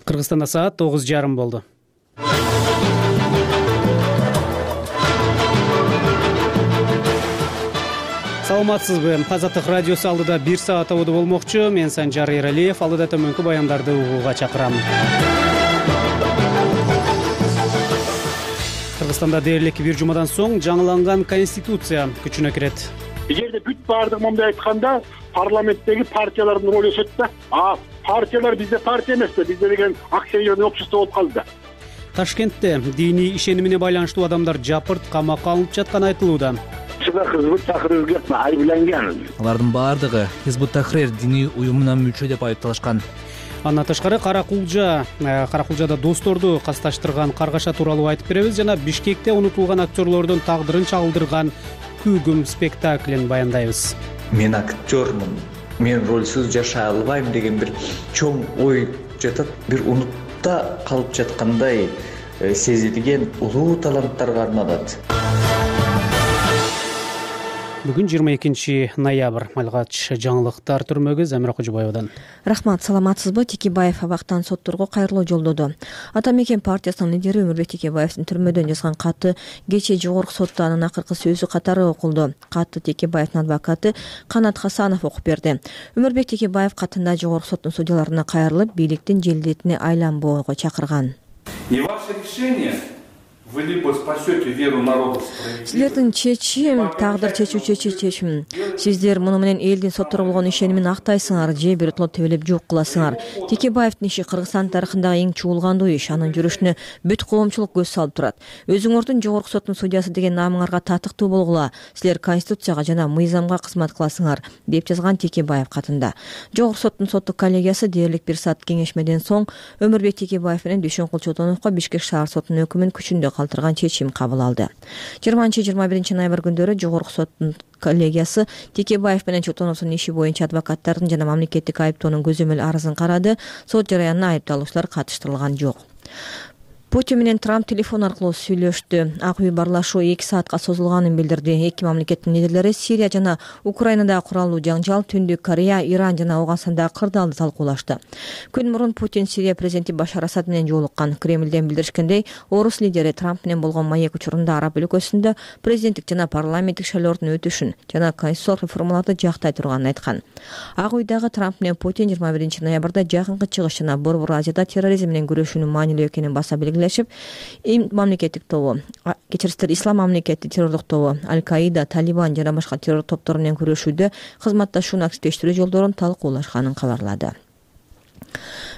Кыргызстанда саат 9:30 болду. Саламатсызбы? Азаттык радиосу алдыда 1 саат абоду болмокчу. Мен Санжар Эралиев. Алдыда төмөнкү баяндарды угууга чакырам. Кыргызстанда дээрлик бир жумадан соң жаңыланган конституция күчүнө кирет. Эгерде бүт баардыгы моундай айтканда парламенттеги партиялардын ролу өсөт да. Партиялар бизде партия эмес да, бизде деген акционерный общество болуп калды да. Ташкентте диний ишенимине байланыштуу адамдар жапырт камакка алынып жатканы айтылууда. Хизбут Тахрирге айыпталган. Алардын баардыгы Хизбут Тахрир диний уюмуна мүчө деп айыпталышкан. Андан тышкары Каракулжада досторду касташтырган каргаша тууралуу айтып беребиз жана Бишкекте унутулган актерлордун тагдырын чагылдырган Күгүм спектаклин баяндайбыз. Мен актёрмун, мен ролсуз жашай албайм деген бир чоң ой жатат. Бир унутта калып жаткандай сезилген улуу таланттарга арналат. Бүгүн 22 ноябрь. Малгач жаңылыктар түрмөгү Замира Кожобаевадан. Рахмат, саламатсызбы? Текебаев абактан сотторго кайрылуу жолдоду. Ата Мекен партиясынын лидери Өмүрбек Текебаевдин түрмөдөн жазган каты кечээ жогорку сотто анын акыркы сөзү катары окулду. Катты Текебаевдин адвокаты Канат Хасанов окуп берди. Өмүрбек Текебаев катында жогорку соттун судьяларына кайрылып, бийликтин желдетине айланбоого чакырган. Не ваше решение. Вы либо спасете веру народа. Силердин чечим, тагдыр чечүүчү чечим. Сиздер муну менен элдин сотторго болгон ишенимин актайсыңар, же биротоло тебелеп жок кыласыңар. Текебаевдин иши Кыргызстан тарыхындагы эң чуулгандуу иш. Анын жүрүшүнө бүт коомчулук көз салып турат. Өзүңөрдүн жогорку соттун судьясы деген намыңарга татыктуу болгула. Силер конституцияга жана мыйзамга кызмат кыласыңар, деп жазган Текебаев катында. Жогорку соттун соттук коллегиясы дээрлик 1 саат кеңешмеден соң Өмүрбек Текебаев менен Дүйшөнкул Чотоновго Бишкек шаар сотунун өкүмүн күчүндө калтырган чечим кабыл алды. 20-21 ноябрь күндөрү жогорку соттун коллегиясы Текебаев менен Чотоновдун иши боюнча адвокаттардын жана мамлекеттик айыптоонун көзөмөл арызын карады. Сот жараянына айыпталуучулар катыштырылган жок. Путин менен Трамп телефон аркылуу сүйлөштү. Ак үй барлашуу 2 саатка созулганын билдирди. Эки мамлекеттин лидерлери Сирия жана Украинада куралуу жаңжал, Түндүк Корея, Иран жана Афганстандагы кырдаалды талкуулашты. Күн мурун Путин Сирия президенти Башар Асад менен жолуккан. Кремлден билдиришкендей, орус лидери Трамп менен болгон маек учурунда араб өлкөсүндө президенттик жана парламенттик шайлоодун өтүшүн жана конституциялык реформаларды жактай турганын айткан. Ак үйдөгү Трамп менен Путин 21 ноябрда жакынкы чыгыш жана Борбор Азияда терроризм менен күрөшүүнүн маанилүү экенин баса мамлекеттик тобу, Ислам мамлекети террорлук тобу, Аль-Каида, Талибан жана башка террор топтору менен күрөшүүдө кызматташууну активдештирүү жолдорун талкуулашканын кабарлады.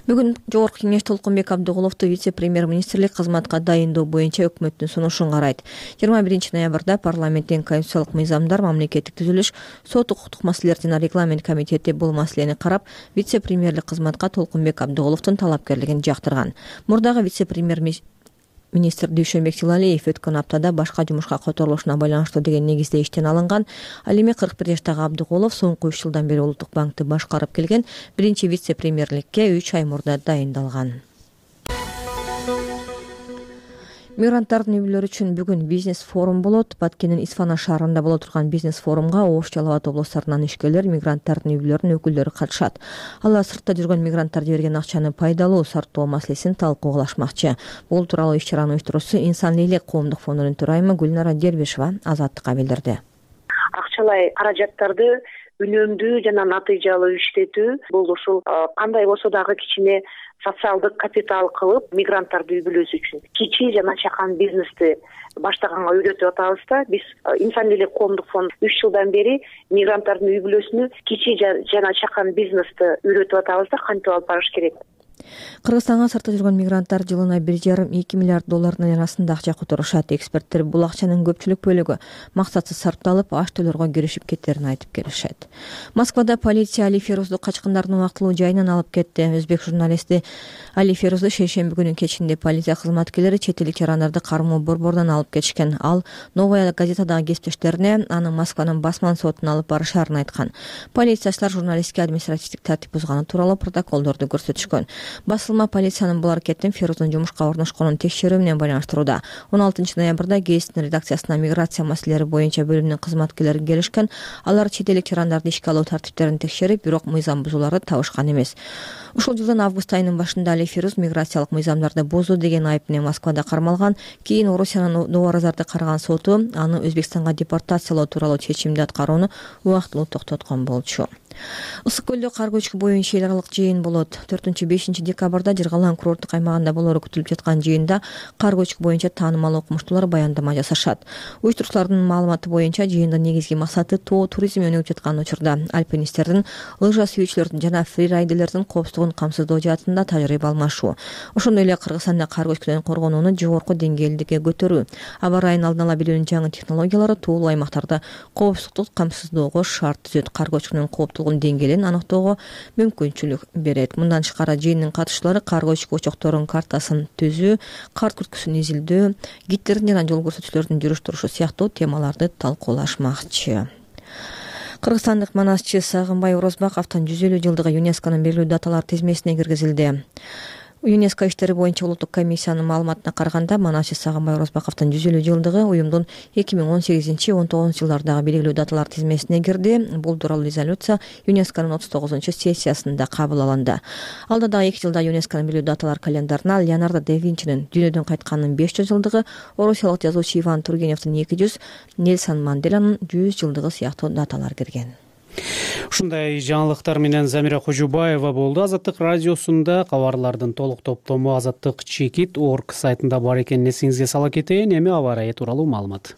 Бүгүн Жогорку кеңеш Толкунбек Абдыгуловду вице-премьер-министрлик кызматка дайындоо боюнча өкмөттүн сунушун карайт. 21 ноябрда парламенттин конституциялык мыйзамдар, мамлекеттик түзүлүш, сот укуктук маселелер жана регламент комитети бул маселени карап, вице-премьерлик кызматка Толкунбек Абдыгуловдун талапкерлигин жактырган. Мурдагы вице-премьер-министр Дүйшөнбек Тилалиев өткөн аптада башка жумушка которулушуна байланыштуу деген негизде иштен алынган. Ал эми 41 жаштагы Абдыгулов соңку 3 жылдан бери Улуттук банкты башкарып келген, биринчи вице-премьерликке 3 ай мурда дайындалган. Мигранттардын үй-бүлөлөрү үчүн бүгүн бизнес форум болот. Баткендин Исфана шаарында боло турган бизнес форумга Ош, Жалал Абад облустарынан ишкерлер, мигранттардын үй-бүлөлөрүнүн өкүлдөрү катышат. Алар сыртта жүргөн мигранттарды берген акчаны пайдалуу сарптоо маселесин талкуулашмакчы. Бул тууралуу иш-чаранын уюштуруучусу Инсан элек коомдук фондунун төрайымы Гүлнара Дербишева Азаттыкка билдирди. Акчалай каражаттарды үнөмдүү жана натыйжалуу иштетүү бул ушул кандай болсо дагы кичине социалдык капитал кылып, мигранттарды үй-бүлөсү үчүн кичи жана чакан бизнести баштаганга үйрөтүп атабыз да. Биз Инсан элек коомдук фонд 3 жылдан бери мигранттардын үй-бүлөсүнө кичи жана чакан бизнести үйрөтүп атабыз да, кантип алып барыш керек. Кыргызстанга сыртта жүргөн мигранттар жылына 1,5-2 миллиард доллардын арасында акча которушат. Эксперттер бул акчанын көпчүлүк бөлүгү максатсыз сарпталып, аш төлөргө киришип кеттерин айтып келишет. Москвада полиция Али Ферузду качкындардын убактылуу жайынан алып кетти. Өзбек журналисти Али Ферузду шейшемби күнүн кечинде полиция кызматкерлери чет элдик жарандарды кармоо борборунан алып кетишкен. Ал Новая газетадагы кесиптештерине аны Москванын басман сотуна алып барышарын айткан. Полициячылар журналистке административдик тартип бузганы тууралуу протоколдорду көрсөтүшкөн. Басылма полициянын бул аракетин Феруздун жумушка орношконун текшерүү менен байланыштырууда. 16 ноябрда ГЭСтин редакциясына миграция маселелери боюнча бөлүмүнүн кызматкерлери келишкен. Алар чет элдик жарандарды ишке алуу тартиптерин текшерип, бирок мыйзам бузууларды табышкан эмес. Ушул жылдын август айынын башында Али Фируз миграциялык мыйзамдарды бузуу деген айып менен Москвада кармалган. Кийин Орусиянын Новоразарды караган соту аны Өзбекстанга депортациялоо тууралуу чечимди аткарууну убактылуу токтоткон болчу. Ысык көлдө кар көчкү боюнча эл аралык жыйын болот. 4-5 декабрда Жыргалаң курорттук аймагында болору күтүлүп жаткан жыйында кар көчкү боюнча таанымал окумуштуулар баяндама жасашат. Уюштуруучулардын маалыматы боюнча жыйындын негизги максаты тоо туризми өнүгүп жаткан учурда альпинисттердин, лыжа сүйүүчүлөрдүн жана фрирайдерлердин коопсуздугун камсыздоо жаатында тажрыйба алмашуу. Ошондой эле Кыргызстанда кар көчкүдөн коргонууну жогорку деңгээлдикке көтөрүү, аба ырайын алдын ала билүүнүн жаңы технологиялары туулуу аймактарда коопсуздукту камсыздоого шарт түзөт. Кар көчкүнүн кооптуулугунун деңгээлин аныктоого мүмкүнчүлүк берет. Мындан тышкары жыйындын катышчылары кар көчкү очокторунун картасын түзүү, кар күрткүсүн изилдөө, гидтердин жана жол көрсөтүүчүлөрдүн жүрүш турушу сыяктуу темаларды талкуулашмакчы. Кыргызстандык манасчы Сагынбай Орозбаковдун 150 жылдыгы ЮНЕСКОнун белгилүү даталар тизмесине киргизилди. ЮНЕСКО иштери боюнча улуттук комиссиянын маалыматына караганда, манасчы Сагынбай Орозбаковдун 150 жылдыгы уюмдун 2018-19 жылдардагы белгилүү даталар тизмесине кирди. Бул тууралуу резолюция ЮНЕСКОнун 39-сессиясында кабыл алынды. Алда дагы 2 жылда ЮНЕСКОнун белгилүү даталар календарына Леонардо да Винчинин дүйнөдөн кайтканынын 500 жылдыгы, орусиялык жазуучу Иван Тургеневдин 200, Нельсон Манделанын 100 жылдыгы сыяктуу даталар кирген. Ушундай жаңылыктар менен Замира Кожубаева болду. Азаттык радиосунда кабарлардын толук топтому Азаттык Чекит.org сайтында бар экенин эсиңизге сала кетейин. Эми аба ырайы тууралуу маалымат.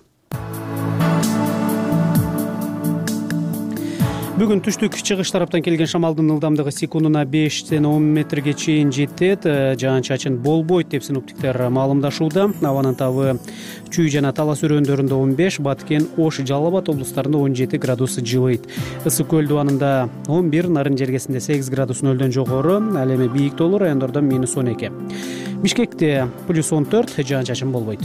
Бүгүн түштүк чыгыш тараптан келген шамалдын ылдамдыгы секундуна 5-10 метрге чейин жетет. Жаан-чачын болбойт деп синоптиктер маалымдашууда. Абанын табы Чүй жана Талас өрөөндөрүндө 15, Баткен, Ош, Жалал Абад облустарында 17 градус жылыйт. Ысык көл дубанында 11, Нарын жергесинде 8 градус нөлдөн жогору, ал эми бийик тоолуу райондордо -12. Бишкекте +14, жаан-чачын болбойт.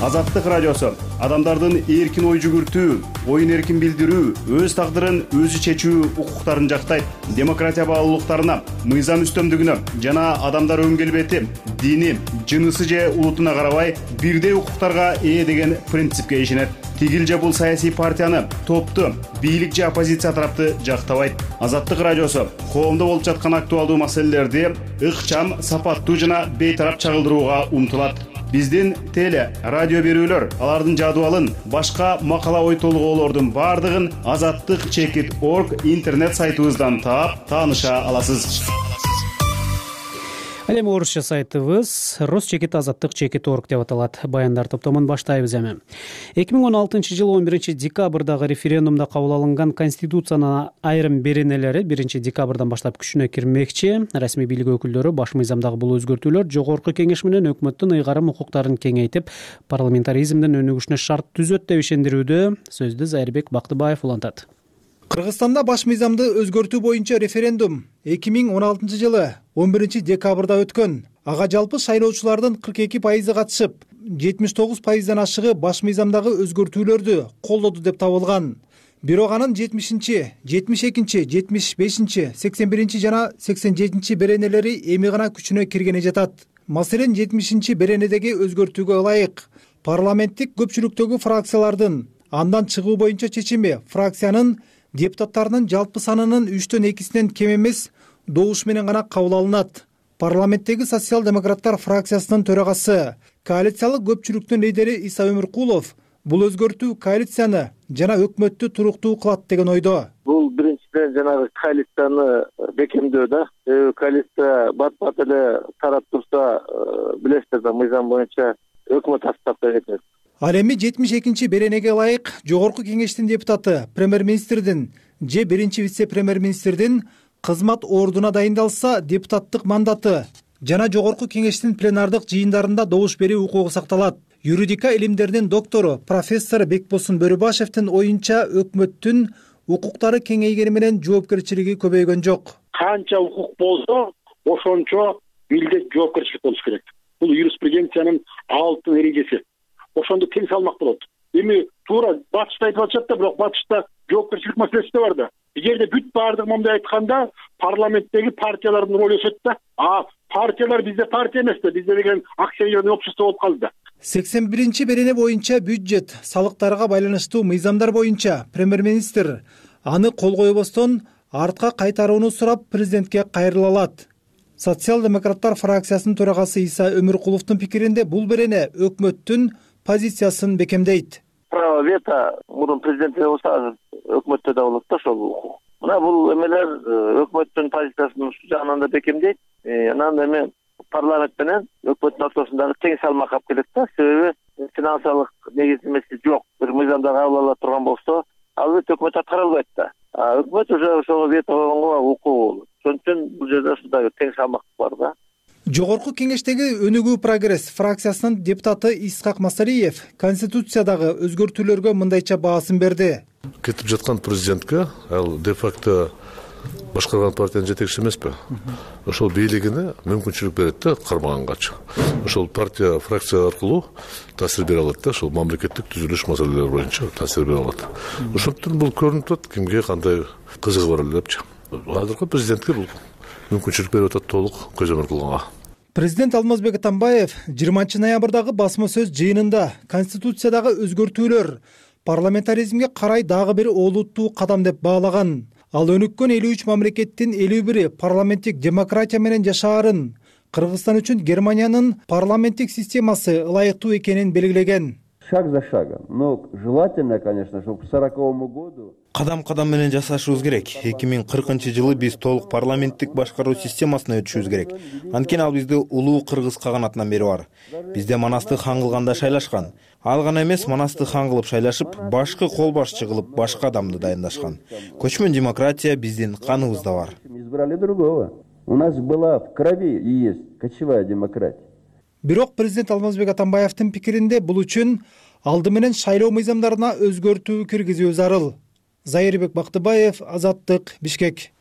Азаттык радиосу адамдардын эркин ой жүгүртүү, оюн эркин билдирүү, өз тагдырын өзү чечүү укуктарын жактайт. Демократия баалуулуктарына, мыйзам үстөмдүгүнө жана адамдар өн келбети, дини, жынысы же улутуна карабай бирдей укуктарга ээ деген принципке ишенет. Тигил же бул саясий партияны, топту, бийлик же оппозиция тарапты жактабайт. Азаттык радиосу коомдо болуп жаткан актуалдуу маселелерди ыкчам, сапаттуу жана бейтарап чагылдырууга умтулат. Биздин теле, радио берүүлөр, алардын жадыбалын, башка макала ой толгоолордун бардыгын Азаттык Чекит.org интернет сайтыбыздан таап, тааныша аласыз. Ал эми орусча сайтыбыз Росчекит Азаттык Чекит.org деп аталат. Баяндар топтомун баштайбыз эми. 2016-жылы 11 декабрдагы референдумда кабыл алынган Конституциянын айрым беренелери 1 декабрдан баштап күчүнө кирмекчи. Расмий бийлик өкүлдөрү баш мыйзамдагы бул өзгөртүүлөр жогорку кеңеш менен өкмөттүн ыйгарым укуктарын кеңейтип, парламентаризмдин өнүгүшүнө шарт түзөт деп ишендирүүдө. Сөздү Зайырбек Бактыбаев улантат. Кыргызстанда баш мыйзамды өзгөртүү боюнча референдум 2016 жылы 11 декабрда өткөн. Ага жалпы шайлоочулардын 42% катышып, 79%дан ашыгы баш мыйзамдагы өзгөртүүлөрдү колдоду деп табылган. Бирок анын 70-чи, 72-чи, 75-чи, 81-чи жана 87-чи беренелери эми гана күчүнө киргени жатат. Маселен, 70-чи беренедеги өзгөртүүгө ылайык парламенттик көпчүлүктөгү фракциялардын андан чыгуу боюнча чечими фракциянын депутаттарынын жалпы санынын 3/2 кем эмес добуш менен гана кабыл алынат. Парламенттеги социал-демократтар фракциясынын төрагасы, коалициялык көпчүлүктүн лидери Иса Өмүркулов бул өзгөртүү коалицияны жана өкмөттү туруктуу кылат деген ойдо. Бул биринчиден жанагы коалицияны бекемдөө да. Коалиция бат-бат эле тарап турса, билесиздер да, мыйзам боюнча өкмөт астапта кетет. Ал эми 72-чи беренеге ылайык жогорку кеңештин депутаты премьер-министрдин же биринчи вице-премьер-министрдин кызмат ордуна дайындалса, депутаттык мандаты жана жогорку кеңештин пленардык жыйындарында добуш берүү укугу сакталат. Юридика илимдеринин доктору профессор Бекбосун Бөрүбашевдин оюнча өкмөттүн укуктары кеңейгени менен жоопкерчилиги көбөйгөн жок. Канча укук болсо, ошончо милдет жоопкерчилик болуш керек. Бул юриспруденциянын алтын эрежеси. Ошондо тең салмак болот. Эми туура батышта айтып атышат да, бирок батышта жоопкерчилик маселеси да бар да. Эгерде бүт баардыгы момундай айтканда, парламенттеги партиялардын ролу өсөт да. Партиялар бизде партия эмес да, бизде деген акционерный общество болуп калды да. 81 берене боюнча бюджет, салыктарга байланыштуу мыйзамдар боюнча премьер-министр аны кол койбостон артка кайтарууну сурап президентке кайрыла алат. Социал-демократтар фракциясынын төрагасы Иса Өмүркуловдун пикиринде бул берене өкмөттүн позициясын бекемдейт. Право вето мурун президентте болсо өкмөттө да болот да ошол. Мына бул эмелер өкмөттүн позициясын ушул жагынан да бекемдейт. Анан эми парламент менен өкмөттүн ортосундагы тең салмак алып келет да. Себеби финансылык негиздемеси жок. Бир мыйзамды кабыл ала турган болсо, албетте өкмөт аткара албайт да. Өкмөт уже ошого вето койгонго укугу болот. Ошон үчүн бул жерде ушундай тең салмак бар да. Жогорку кеңештеги Өнүгүү прогресс фракциясынын депутаты Исхак Масалиев конституциядагы өзгөртүүлөргө мындайча баасын берди. Кетип жаткан президентке ал де-факто башкарган партиянын жетекчиси эмеспи? Ошол бийлигине мүмкүнчүлүк берет да кармагангачы. Ошол партия, фракция аркылуу таасир бере алат да, ошол мамлекеттик түзүлүш маселелери боюнча таасир бере алат. Ошондуктан бул көрүнүп турат кимге кандай кызыгы бар эле депчи. Азыркы президентке бул мүмкүнчүлүк берип атат толук көзөмөл кылганга. Президент Алмазбек Атамбаев 20 ноябрдагы басма сөз жыйынында конституциядагы өзгөртүүлөр парламентаризмге карай дагы бир олуттуу кадам деп баалаган. Ал өнүккөн 53 мамлекеттин 51 парламенттик демократия менен жашаарын, Кыргызстан үчүн Германиянын парламенттик системасы ылайыктуу экенин белгилеген. Шаг за шагом, но желательно, конечно, чтобы к 40-му году кадам менен жасашыбыз керек. 2040-жылы биз толук парламенттик башкаруу системасына өтүшүбүз керек. Анткени ал бизди улуу кыргыз каганатынан бери бар. Бизде Манастык хан кылганда шайлашкан. Ал гана эмес, Манастык хан кылып шайлашып, башкы кол башчы кылып башка адамды дайындашкан. Көчмөн демократия биздин каныбызда бар. Избрали другого. У нас была в крови и есть кочевая демократия. Бирок президент Алмазбек Атамбаевдин пикиринде бул үчүн алды менен шайлоо мыйзамдарына өзгөртүү киргизүү зарыл. Зайырбек Бактыбаев, Азаттык, Бишкек.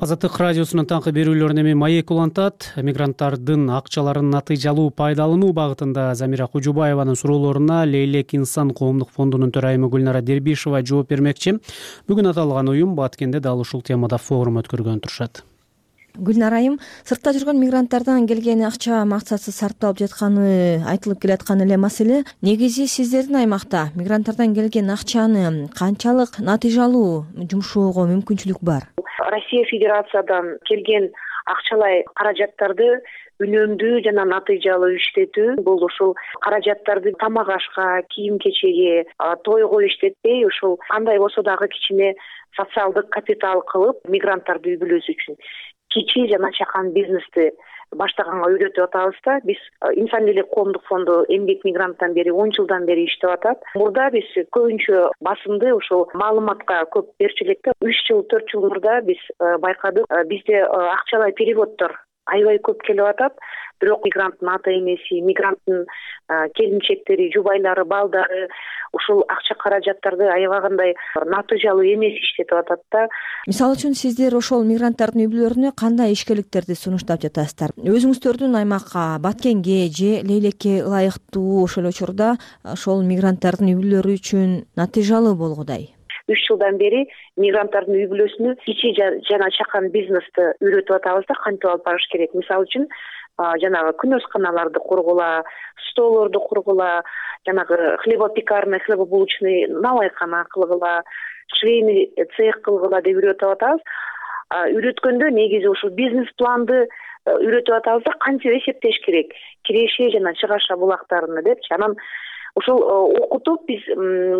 Азаттык радиосунун таңкы берүүлөрүнө эми маек улантат. Мигранттардын акчаларын натыйжалуу пайдалануу багытында Замира Кужубаеванын суроолоруна Лейлек инсан коомдук фондунун төрайымы Гүлнара Дербишева жооп бермекчи. Бүгүн аталган уюм Баткенде дал ушул темада форум өткөргөн турушат. Гүлнара айым, сыртта жүргөн мигранттардан келген акча максатсыз сарпталып жатканы айтылып келаткан эле маселе. Негизи сиздердин аймакта мигранттардан келген акчаны канчалык натыйжалуу жумшоого мүмкүнчүлүк бар? Россия Федерациядан келген акчалай каражаттарды үнөмдүү жана натыйжалуу иштетүү, бул ушул каражаттарды тамак ашка, кийим кечеге, тойго иштетпей, ушул кандай болсо дагы кичине социалдык капитал кылып, мигранттарды үй бүлөсү үчүн кичи жана чакан бизнести баштаганга үйрөтүп атабыз да. Биз Инсан элек коомдук фонду эмгек мигранттан бери 10 жылдан бери иштеп атат. Мурда биз көбүнчө басымды ушул маалыматка көп берчү элек да. 3 жыл, 4 жыл мурда биз байкадык, бизде акчалай переводдор аябай көп келип атат. Бирок мигранттын ата энеси, мигранттын келинчектери, жубайлары, балдары ушул акча каражаттарды аябагандай натыйжалуу эмес иштетип атат да. Мисалы үчүн сиздер ошол мигранттардын үй бүлөлөрүнө кандай ишкерликтерди сунуштап жатасыздар? Өзүңүздөрдүн аймакка, Баткенге же Лейлекке ылайыктуу ошол учурда ошол мигранттардын үй бүлөлөрү үчүн натыйжалуу болгудай? 3 жылдан бери мигранттардын үй бүлөсүнө кичи жана чакан бизнести үйрөтүп атабыз да, кантип алып барыш керек. Мисалы үчүн жанагы күнөсканаларды кургула, столорду кургула, жанагы хлебопекарный, хлебобулочный навайкана кылгыла, швейный цех кылгыла деп үйрөтүп атабыз. Үйрөткөндө негизи ушул бизнес планды үйрөтүп атабыз да, кантип эсептеш керек, киреше жана чыгаша булактарыны депчи. Анан ушул окутуп биз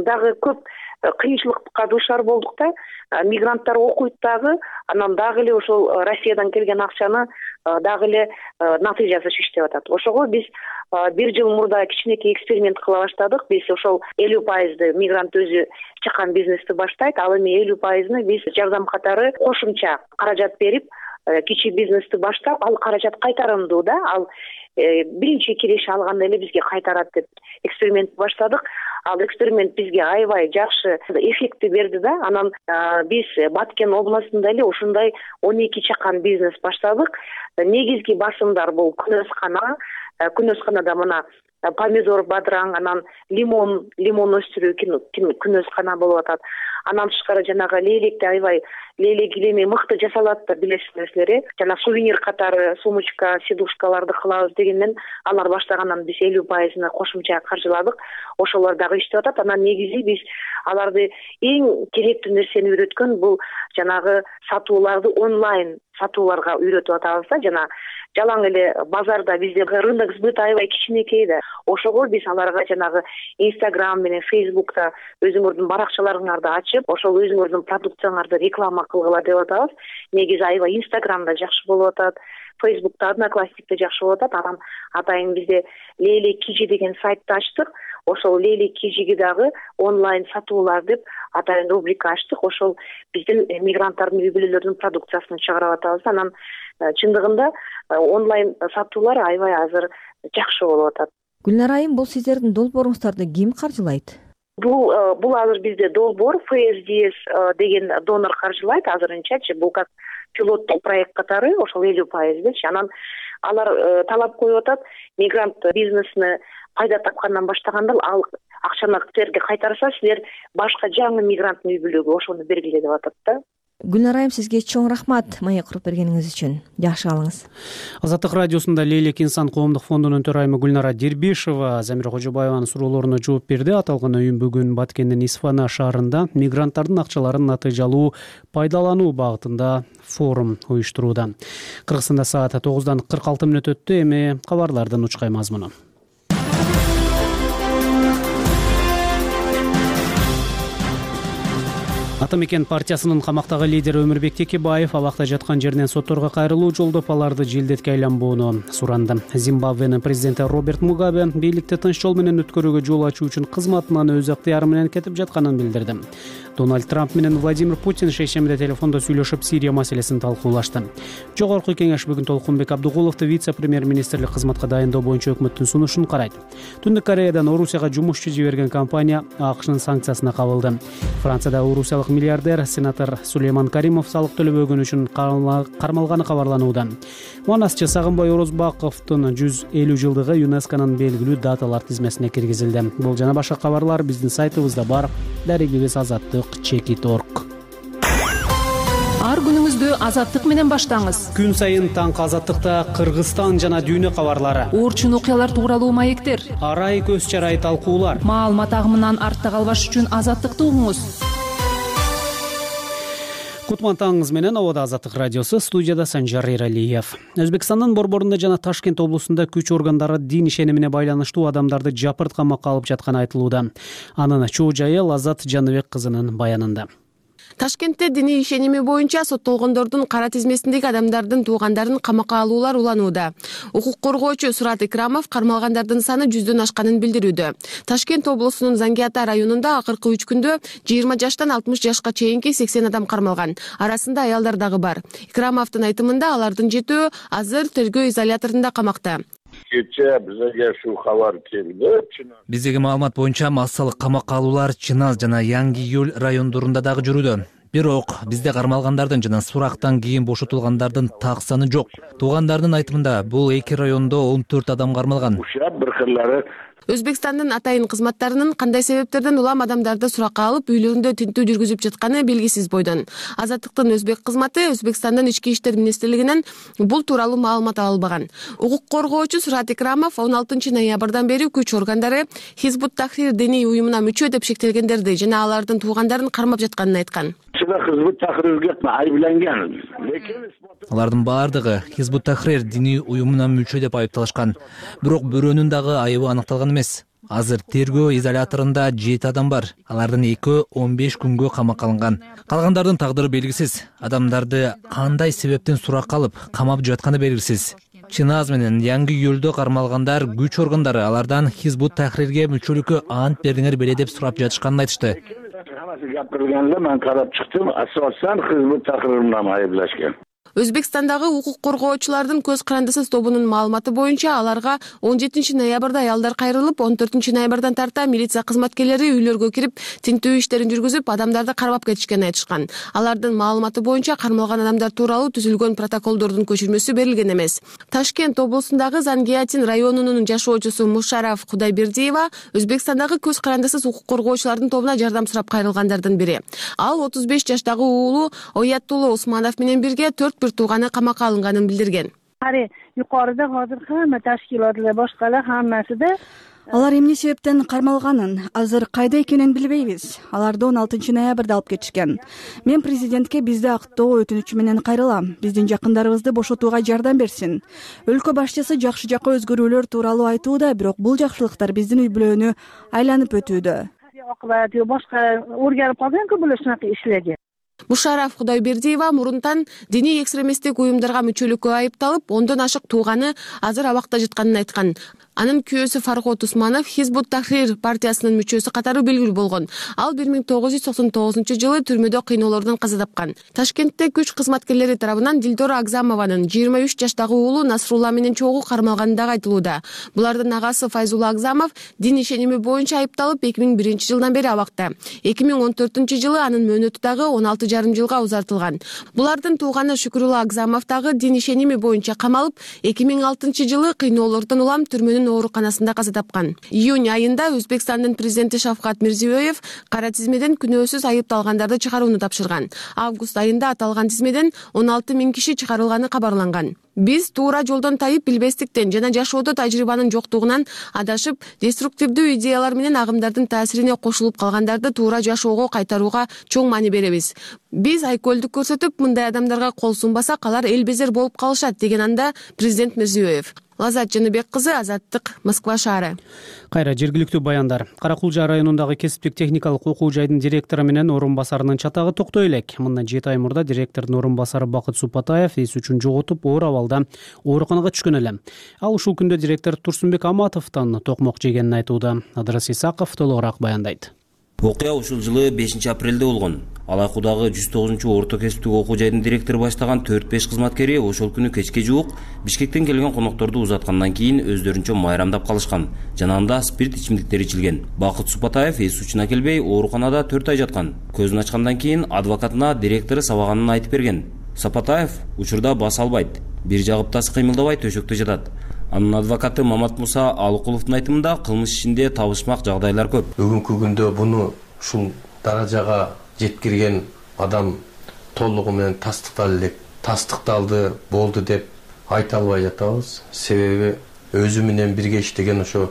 дагы көп кыйынчылыкка дуушар болдук да. Мигранттар окуйт дагы, анан дагы эле ошол Россиядан келген акчаны дагы эле натыйжасыз иштеп атат. Ошого биз 1 жыл мурда кичинекей эксперимент кыла баштадык. Биз ошол 50% мигрант өзү чакан бизнести баштайт, ал эми 50% биз жардам катары кошумча каражат берип, кичи бизнести баштап, ал каражат кайтарымдуу да, ал биринчи киреше алганда эле бизге кайтарат деп эксперимент баштадык. Ал эксперимент бизге аябай жакшы эффектти берди да. Анан биз Баткен областында эле ушундай 12 чакан бизнес баштадык. Негизги басымдар бул күнөскана, күнөзканада мына помидор, бадыраң, анан лимон өстүрүү күнөзкана болуп атат. Анан тышкары жанагы лейлekти аябай лейлек илеми мыкты жасалат да, билесиңерсиздер. Жана сувенир катары сумочка, сидушкаларды кылабыз дегенден алар баштагандан биз 50% кошумча каржыладык. Ошолор дагы иштеп атат. Анан негизи биз аларды эң керектүү нерсени үйрөткөн бул жанагы сатууларды онлайн сатууларга үйрөтүп атабыз да. Жана жалаң эле базарда бизде рынок сбыта аябай кичинекей да. Ошого биз аларга жанагы Instagram менен Facebook'та өзүңөрдүн баракчаларыңарды ачып, ошол өзүңөрдүн продукцияңарды реклама кылгыла деп атабыз. Негизи аябай Instagram'да жакшы болуп атат, Facebook'та, Одноклассникте жакшы болуп атат. Анан атайын бизде Лейлек Кижи деген сайтты ачтык. Ошол Лейлек Кижиге дагы онлайн сатуулар деп атайын рубрика ачтык. Ошол биздин мигранттардын үй бүлөлөрүнүн продукциясын чыгарып атабыз. Анан чындыгында онлайн сатуулар аябай азыр жакшы болуп атат. Гүлнара айым, бул сиздердин долбооруңуздарды ким каржылайт? Бул азыр бизде долбоор ФСДС деген донор каржылайт азырынчачы. Бул как пилоттук проект катары, ошол 50%. Анан алар талап коюп атат, мигрант бизнесини пайда тапкандан баштаганда ал акчаны силерге кайтарса, силер башка жаңы мигранттын үй бүлөгө ошону бергиле деп атат да. Гүлнара айым, сизге чоң рахмат маек куруп бергениңиз үчүн. Жакшы калыңыз. Азаттык радиосунда Лейлек инсан коомдук фондунун төрайымы Гүлнара Дербишева Замира Кожобаеванын суроолоруна жооп берди. Аталган уюм бүгүн Баткендин Исфана шаарында мигранттардын акчаларын натыйжалуу пайдалануу багытында форум уюштурууда. Кыргызстанда саат 9:46 өттү. Эми кабарлардын учкай мазмуну. Ата мекен партиясынын камактагы лидери Өмүрбек Текебаев абакта жаткан жеринен сотторго кайрылуу жолдоп, аларды желдетке айланбоону суранды. Зимбабвенин президенти Роберт Мугабе бийликти тынч жол менен өткөрүүгө жол ачуу үчүн кызматынан өз ыктыяры менен кетип жатканын билдирди. Дональд Трамп менен Владимир Путин шейшембиде телефондо сүйлөшүп, Сирия маселесин талкуулашты. Жогорку кеңеш бүгүн Толкунбек Абдыгуловду вице-премьер-министрлик кызматка дайындоо боюнча өкмөттүн сунушун карайт. Түндүк Кореядан Орусияга жумушчу жиберген компания АКШнын санкциясына кабылды. Францияда орусиялык миллиардер сенатор Сулейман Каримов салык төлөбөгөнү үчүн кармалганы кабарланууда. Манасчы Сагынбай Орозбаковдун 150 жылдыгы ЮНЕСКОнун белгилүү даталар тизмесине киргизилди. Бул жана башка кабарлар биздин сайтыбызда бар. Дарегибиз azatlyk.org. Ар күнүңүздү Азаттык менен баштаңыз. Күн сайын таңкы Азаттыкта Кыргызстан жана дүйнө кабарлары, орчун окуялар тууралуу маектер, арай көз чарай талкуулар. Маалымат агымынан артта калбаш үчүн Азаттыкты угуңуз. Кутман таңыңыз менен Абада Азаттык радиосу, студияда Санжар Эралиев. Өзбекстандын Борборунда жана Ташкент облусунда күч органдары дин ишенимине байланыштуу адамдарды жапырт камакка алып жатканы айтылууда. Анын чоо жайы Лазат Жаныбек кызынын баянында. Ташкентте диний ишеними боюнча соттолгондордун кара тизмесиндеги адамдардын туугандарын камакка алуулар уланууда. Укук коргоочу Сурат Икрамов кармалгандардын саны 100дөн ашканын билдирүүдө. Ташкент облусунун Зангиата районунда акыркы 3 күндө 20 жаштан 60 жашка чейинки 80 адам кармалган. Арасында аялдар дагы бар. Икрамовдун айтымында алардын жетөө азыр тергөө изоляторунда камакта. Кече бизге ушул кабар келди. Биздеги маалымат боюнча массалык камакка алуулар Чыназ жана Яңгы Июль райондорунда дагы жүрүүдө. Бирок бизде кармалгандардын жана сурактан кийин бошотулгандардын так саны жок. Туугандардын айтымында бул эки райондо 14 адам кармалган. Бир кырлары Өзбекстандын атайын кызматтарынын кандай себептерден улам адамдарды суракка алып үйлөрүндө тинтүү жүргүзүп жатканы белгисиз бойдон. Азаттыктын өзбек кызматы Өзбекстандын ички иштер министрлигинен бул тууралуу маалымат ала албаган. Укук коргоочу Сурат Икрамов 16 ноябрдан бери күч органдары Хизбут Тахрир диний уюмуна мүчө деп шектелгендерди жана алардын туугандарын кармап жатканын айткан. Хизбут Тахрирге айыпталган. Алардын баардыгы Хизбут Тахрир диний уюмуна мүчө деп айыпталышкан. Бирок бирөөнүн дагы айыбы аныкталган эмес. Азыр тергөө изоляторунда 7 адам бар. Алардын 2-15 күнгө камакка алынган. Калгандардын тагдыры белгисиз. Адамдарды кандай себептен суракка алып камап жатканы белгисиз. Чыназ менен Яңгы Июльдө кармалгандар күч органдары алардан Хизбут Тахрирге мүчөлүккө ант бердиңер беле деп сурап жатышканын айтышты. Гапырганда мен карап чыктым, асосан Хизбут Тахрир менен айыпташкан. Өзбекстандагы укук коргоочулардын көз карандысыз тобунун маалыматы боюнча аларга 17 ноябрда аялдар кайрылып, 14 ноябрдан тарта милиция кызматкерлери үйлөргө кирип, тинтүү иштерин жүргүзүп, адамдарды кармап кетишкенин айтышкан. Алардын маалыматы боюнча кармалган адамдар тууралуу түзүлгөн протоколдордун көчүрмөсү берилген эмес. Ташкент облусундагы Зангиатин районунун жашоочусу Мушараф Кудайбердиева Өзбекстандагы көз карандысыз укук коргоочулардын тобуна жардам сурап кайрылгандардын бири. Ал 35 жаштагы уулу Оятулла Усманов менен бирге 4 тууганы камакка алынганын билдирген. Yuqorida hozir hamma tashkilotlar boshqalar hammasi da алар эмне себептен кармалганын азыр кайда экенин билбейбиз. Аларды 16 ноябрда алып кетишкен. Мен президентке бизди актоо өтүнүчү менен кайрылам. Биздин жакындарыбызды бошотууга жардам берсин. Өлкө башчысы жакшы жакка өзгөрүүлөр тууралуу айтууда, бирок бул жакшылыктар биздин үй бүлөнү айланып өтүүдө. oqibati boshqa o'rganib qolgan-ku bular shunaqa ishlarga. Мушараф Кудайбердиева мурунтан диний экстремисттик уюмдарга мүчөлүккө айыпталып, 10дон ашык тууганы азыр абакта жатканын айткан. Анын күйөөсү Фархот Усманов Хизбут Тахрир партиясынын мүчөсү катары белгилүү болгон. Ал 1999-жылы түрмөдө кыйноолордон каза тапкан. Ташкентте күч кызматкерлери тарабынан Дилдора Акзамованын 23 жаштагы уулу Насрулла менен чогуу кармалганы да айтылууда. Булардын агасы Файзулла Акзамов дин ишеними боюнча айыпталып 2001-жылдан бери абакта. 2014-жылы анын мөөнөтү дагы 16,5 жылга узартылган. Булардын тууганы Шүкүрулла Акзамов дагы дин ишеними боюнча камалып, 2006-жылы кыйноолордон улам түрмөнүн ооруканасында каза тапкан. Июнь айында Өзбекстандын президенти Шавкат Мирзиёев кара тизмеден күнөөсүз айыпталгандарды чыгарууну тапшырган. Август айында аталган тизмеден 16 000 киши чыгарылганы кабарланган. Биз туура жолдон тайып билбестиктен жана жашоодо тажрыйбанын жоктугунан адашып, деструктивдүү идеялар менен агымдардын таасирине кошулуп калгандарды туура жашоого кайтарууга чоң маани беребиз. Биз айкөлдүк көрсөтүп, мындай адамдарга кол сунбасак, алар эл безер болуп калышат, деген анда президент Мирзиёев. Лазат Жаныбек кызы, Азаттык, Москва шаары. Кайра жергиликтүү баяндар. Кара Кулжа районундагы кесиптик техникалык окуу жайдын директору менен орун басарынын чатагы токтой элек. Мындан 7 ай мурда директордун орун басары Бакыт Супатаев эс үчүн жоготуп, оор абалда ооруканага түшкөн эле. Ал ушул күндө директор Турсунбек Аматовдон токмок жегенин айтууда. Адрас Исаков толугураак баяндайт. Окуя ушул жылы 5 апрелде болгон. Алайкуудагы 109 орто кесиптик окуу жайдын директору баштаган 4-5 кызматкери ошол күнү кечке жуук Бишкектен келген конокторду узаткандан кийин өздөрүнчө майрамдап калышкан. Жанагында спирт ичимдиктери ичилген. Бакыт Супатаев эс учуна келбей, ооруканада 4 ай жаткан. Көзүн ачкандан кийин адвокатына директору сабаганын айтып берген. Сапатаев учурда бас албайт, бир жагыптасы кыймылдабай төшөктө жатат. Анын адвокаты Мамат Муса Алыкуловдун айтымында кылмыш ишинде табышмак жагдайлар көп. Бүгүнкү күндө буну ушул даражага жеткирген адам толугу менен тастыкталды болду деп айта албай жатабыз. Себеби өзү менен бирге иштеген ошо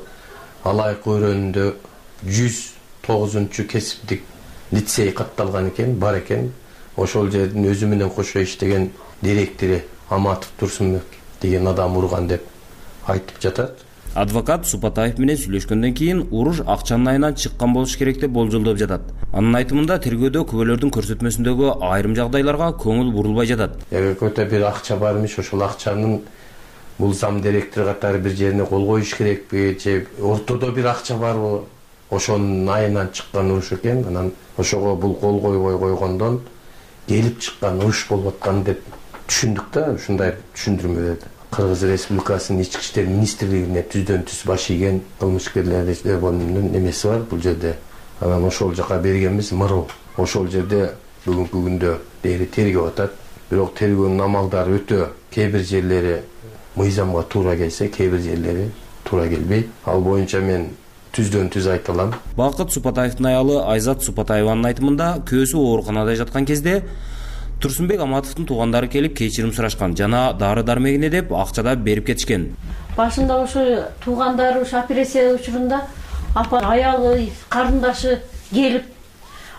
Алайык өрөөнүндө 109 кесиптик лицей катталган экен, бар экен. Ошол жердин өзү менен кошо иштеген директору Аматов Турсунбек деген адам урган деп айтып жатат. Адвокат Супатаев менен сүйлөшкөндөн кийин уруш акчанын айынан чыккан болуш керек деп болжолдоп жатат. Анын айтымында тергөөдө күбөлөрдүн көрсөтмөсүндөгү айрым жагдайларга көңүл бурулбай жатат. Көтө бир акча бар эмиш, ошол акчанын бул зам директор катары бир жерине кол коюш керекпи, же ортодо бир акча барбы? Ошонун айынан чыккан уруш экен. Анан ошого бул кол койбой койгондон келип чыккан уруш болуп аткан деп түшүндүк да, ушундай түшүндүрмө берди. Кыргыз Республикасынын ички иштер министрлигине түздөн түз баш ийген кылмышкерлер бөлүмүнүн эмеси бар бул жерде. Анан ошол жака бергенбиз мыруу. Ошол жерде бүгүнкү күндө дээри тергеп атат. Бирок тергөөнүн амалдары өтө, кээ бир жерлери мыйзамга туура келсе, кээ бир жерлери туура келбейт. Ал боюнча мен түздөн түз айта алам. Бакыт Супатаевдин аялы Айзат Супатаеванын айтымында көөсү ооруканада жаткан кезде Турсунбек Аматовдун туугандары келип кечирим сурашкан жана дары-дармегине деп акча да берип кетишкен. Башында ошо туугандары операция учурунда апа аялы, карындашы келип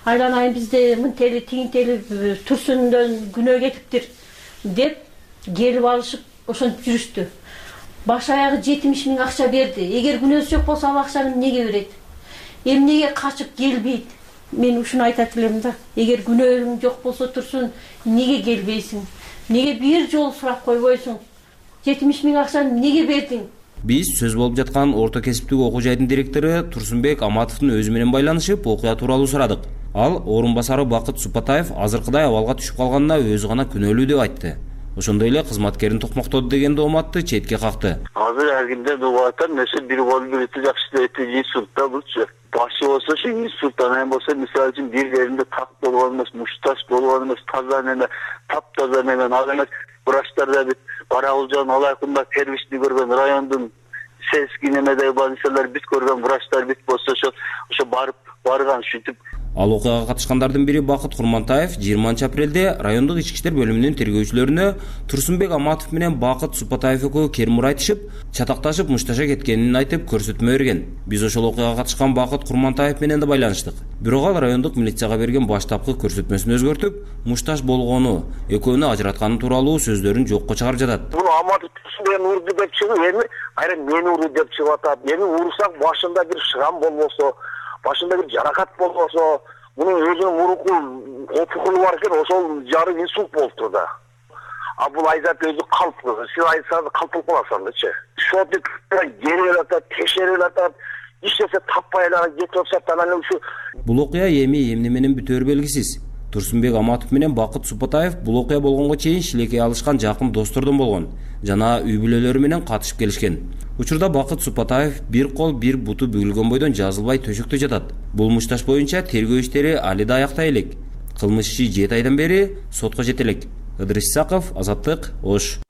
айланайын бизде мынтели тигинтели Турсундон күнөө кетиптир деп келип алышып ошентип жүрүштү. Баш аягы 70 000 акча берди. Эгер күнөөсү жок болсо ал акчаны эмнеге берет? Эмнеге качып келбейт? Мен ушуну айтат элем да. Эгер күнөөң жок болсо Турсун, неге келбейсиң? Неге бир жолу сурап койбойсуң? 70 000 акчаны эмнеге бердиң? Биз сөз болуп жаткан орто кесиптик окуу жайдын директору Турсунбек Аматовдун өзү менен байланышып, окуя тууралуу сурадык. Ал орун басары Бакыт Супатаев азыркыдай абалга түшүп калганына өзү гана күнөөлүү деп айтты. ошондой эле кызматкерин токмоктоду деген дооматты четке какты. Азыр ар кимден угуп атам, нерсе бир колу бирити жакшы дейт, институтта булчу. Башы болсо шу институттан эми болсо мисалы үчүн бир жеринде так болгон эмес, мушташ болгон эмес, таза неме, таптаза неме, ал эмес врачтарда бит Карагулжан алайкында первичный көргөн райондун сельский немедеги больницалар бит көргөн врачтар бит болсо ошо барган шүтүп. Ал окуяга катышкандардын бири Бакыт Курмантаев 20 апрелде райондук ички иштер бөлүмүнүн тергөөчүлөрүнө Турсунбек Аматов менен Бакыт Супатаев экөө кермур айтышып, чатакташып мушташа кеткенин айтып көрсөтмө берген. Биз ошол окуяга катышкан Бакыт Курмантаев менен да байланыштык. Бирок ал райондук милицияга берген баштапкы көрсөтмөсүн өзгөртүп, мушташ болгону, экөөнү ажыратканы тууралуу сөздөрүн жокко чыгарып жатат. Бул Аматов мен урду деп чыгып, эми кайра мен урду деп чыгып атат. Эми урсак башында бир шрам болбосо, башында бир жаракат болбосо, мунун өзүнүн муруку опукулу бар экен, ошол жары инсульт болуптур да. А бул айзат өзү калп, сен айзат калп болуп каласың дачы. Шотик жерип атат, текшерип атат, эч нерсе таппай эле кетип атат, анан ушу. Бул окуя эми эмне менен бүтөөрү белгисиз. Турсунбек Аматов менен Бакыт Супатаев бул окуя болгонго чейин шилекей алышкан жакын достордон болгон жана үй бүлөлөрү менен катышып келишкен. Учурда Бакыт Супатаев бир кол бир буту бүгүлгөн бойдон жазылбай төшөктө жатат. Бул мушташ боюнча тергөө иштери али да аяктай элек. Кылмыш иши 7 айдан бери сотко жете элек. Ыдырыс Исаков, Азаттык, Ош.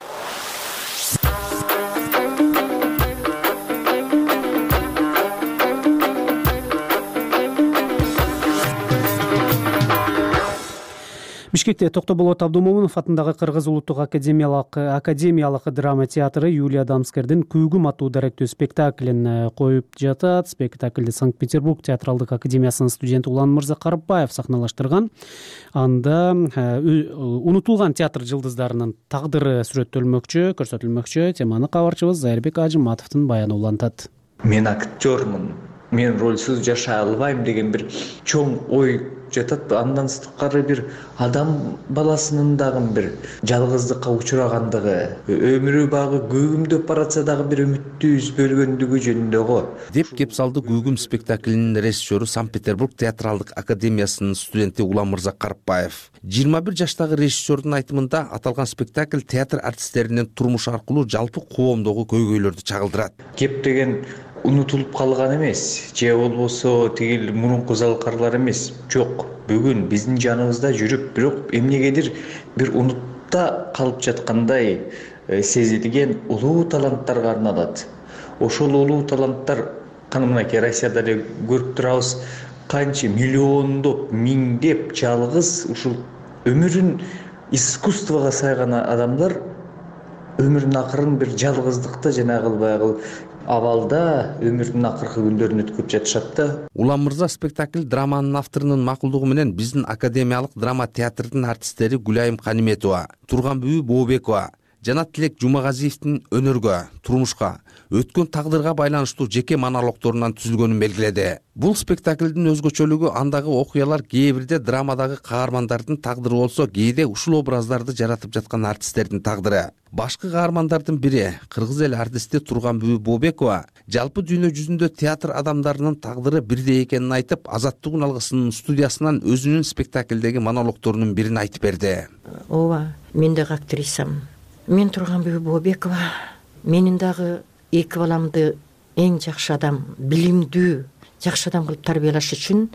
Бишкекте Токтоболот Абдумомунов атындагы Кыргыз улуттук академиялык драма театры Юлия Дамскердин Күйгүм аттуу даректүү спектаклин коюп жатат. Спектаклди Санкт-Петербург театралдык академиясынын студенти Улан Мырза Карыпбаев сахналаштырган. Анда унутулган театр жылдыздарынын тагдыры көрсөтүлмөкчү. Теманы кабарчыбыз Зайырбек Ажыматовдун баяны улантат. Мен актёрмун, мен ролсуз жашай албайм деген бир чоң ой жатат. Андан сырткары бир адам баласынын дагы бир жалгыздыкка учурагандыгы, өмүрү багы көгүмдөп баратса дагы бир үмүттү үзбөлгөндүгү жөнүндө го деп кеп салды Күйгүм спектаклинин режиссеру Санкт-Петербург театралдык академиясынын студенти Улан Мырза Карыпбаев. 21 жаштагы режиссердун айтымында аталган спектакль театр артисттеринин турмушу аркылуу жалпы коомдогу көйгөйлөрдү чагылдырат. Кеп деген унутулуп калган эмес, же болбосо тигил мурунку залкарлар эмес. Жок, бүгүн биздин жаныбызда жүрүп, бирок эмнегедир бир унутта калып жаткандай сезилген улуу таланттарга арналат. Ошол улуу таланттар мынакей Россияда эле көрүп турабыз, канча миллиондоп, миңдеп жалгыз ушул өмүрүн искусствого сайган адамдар өмүрүнүн акырын бир жалгыздыкта жанагы баягы абалда өмүрүнүн акыркы күндөрүн өткөрүп жатышат да. Улан Мырза спектакль драманын авторунун макулдугу менен биздин академиялык драма театрдын артисттери Гүлайым Каниметова, Турганбүбү Бообекова жана Тилек Жумагазиевдин өнөргө, турмушка, өткөн тагдырга байланыштуу жеке монологдорунан түзүлгөнүн белгиледи. Бул спектаклдин өзгөчөлүгү андагы окуялар кээ бирде драмадагы каармандардын тагдыры болсо, кээде ушул образдарды жаратып жаткан артисттердин тагдыры. Башкы каармандардын бири кыргыз эл артисти Турганбүбү Бообекова жалпы дүйнө жүзүндө театр адамдарынын тагдыры бирдей экенин айтып, Азаттык алгысынын студиясынан өзүнүн спектаклдеги монологдорунун бирин айтып берди. Ооба, мен дагы актрисамын. Мен Турганбүбү Бообекова. Менин дагы эки баламды эң жакшы адам, билимдүү, жакшы адам кылып тарбиялаш үчүн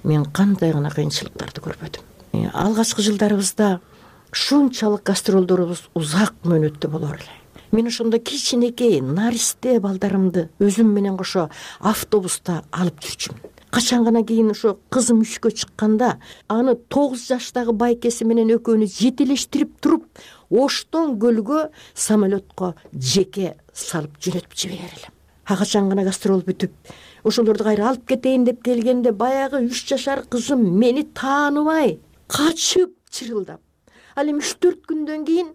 мен кандай гана кыйынчылыктарды көрбөдүм. Алгачкы жылдарыбызда шунчалык гастролдорубуз узак мөөнөттө болор эле. Мен ошондо кичинекей наристе балдарымды өзүм менен кошо автобуста алып жүрчүмүн. Качан гана кийин ошо кызым үшкө чыкканда, аны 9 жаштагы байкеси менен экөөнү жетелештирип туруп, Оштон көлгө самолетко жеке салып жөнөтүп жиберер элем. Качан гана гастрол бүтүп, ошолорду кайра алып кетейин деп келгенде, баягы 3 жашар кызым мени тааныбай, качып чырылдап, ал эми 3-4 күндөн кийин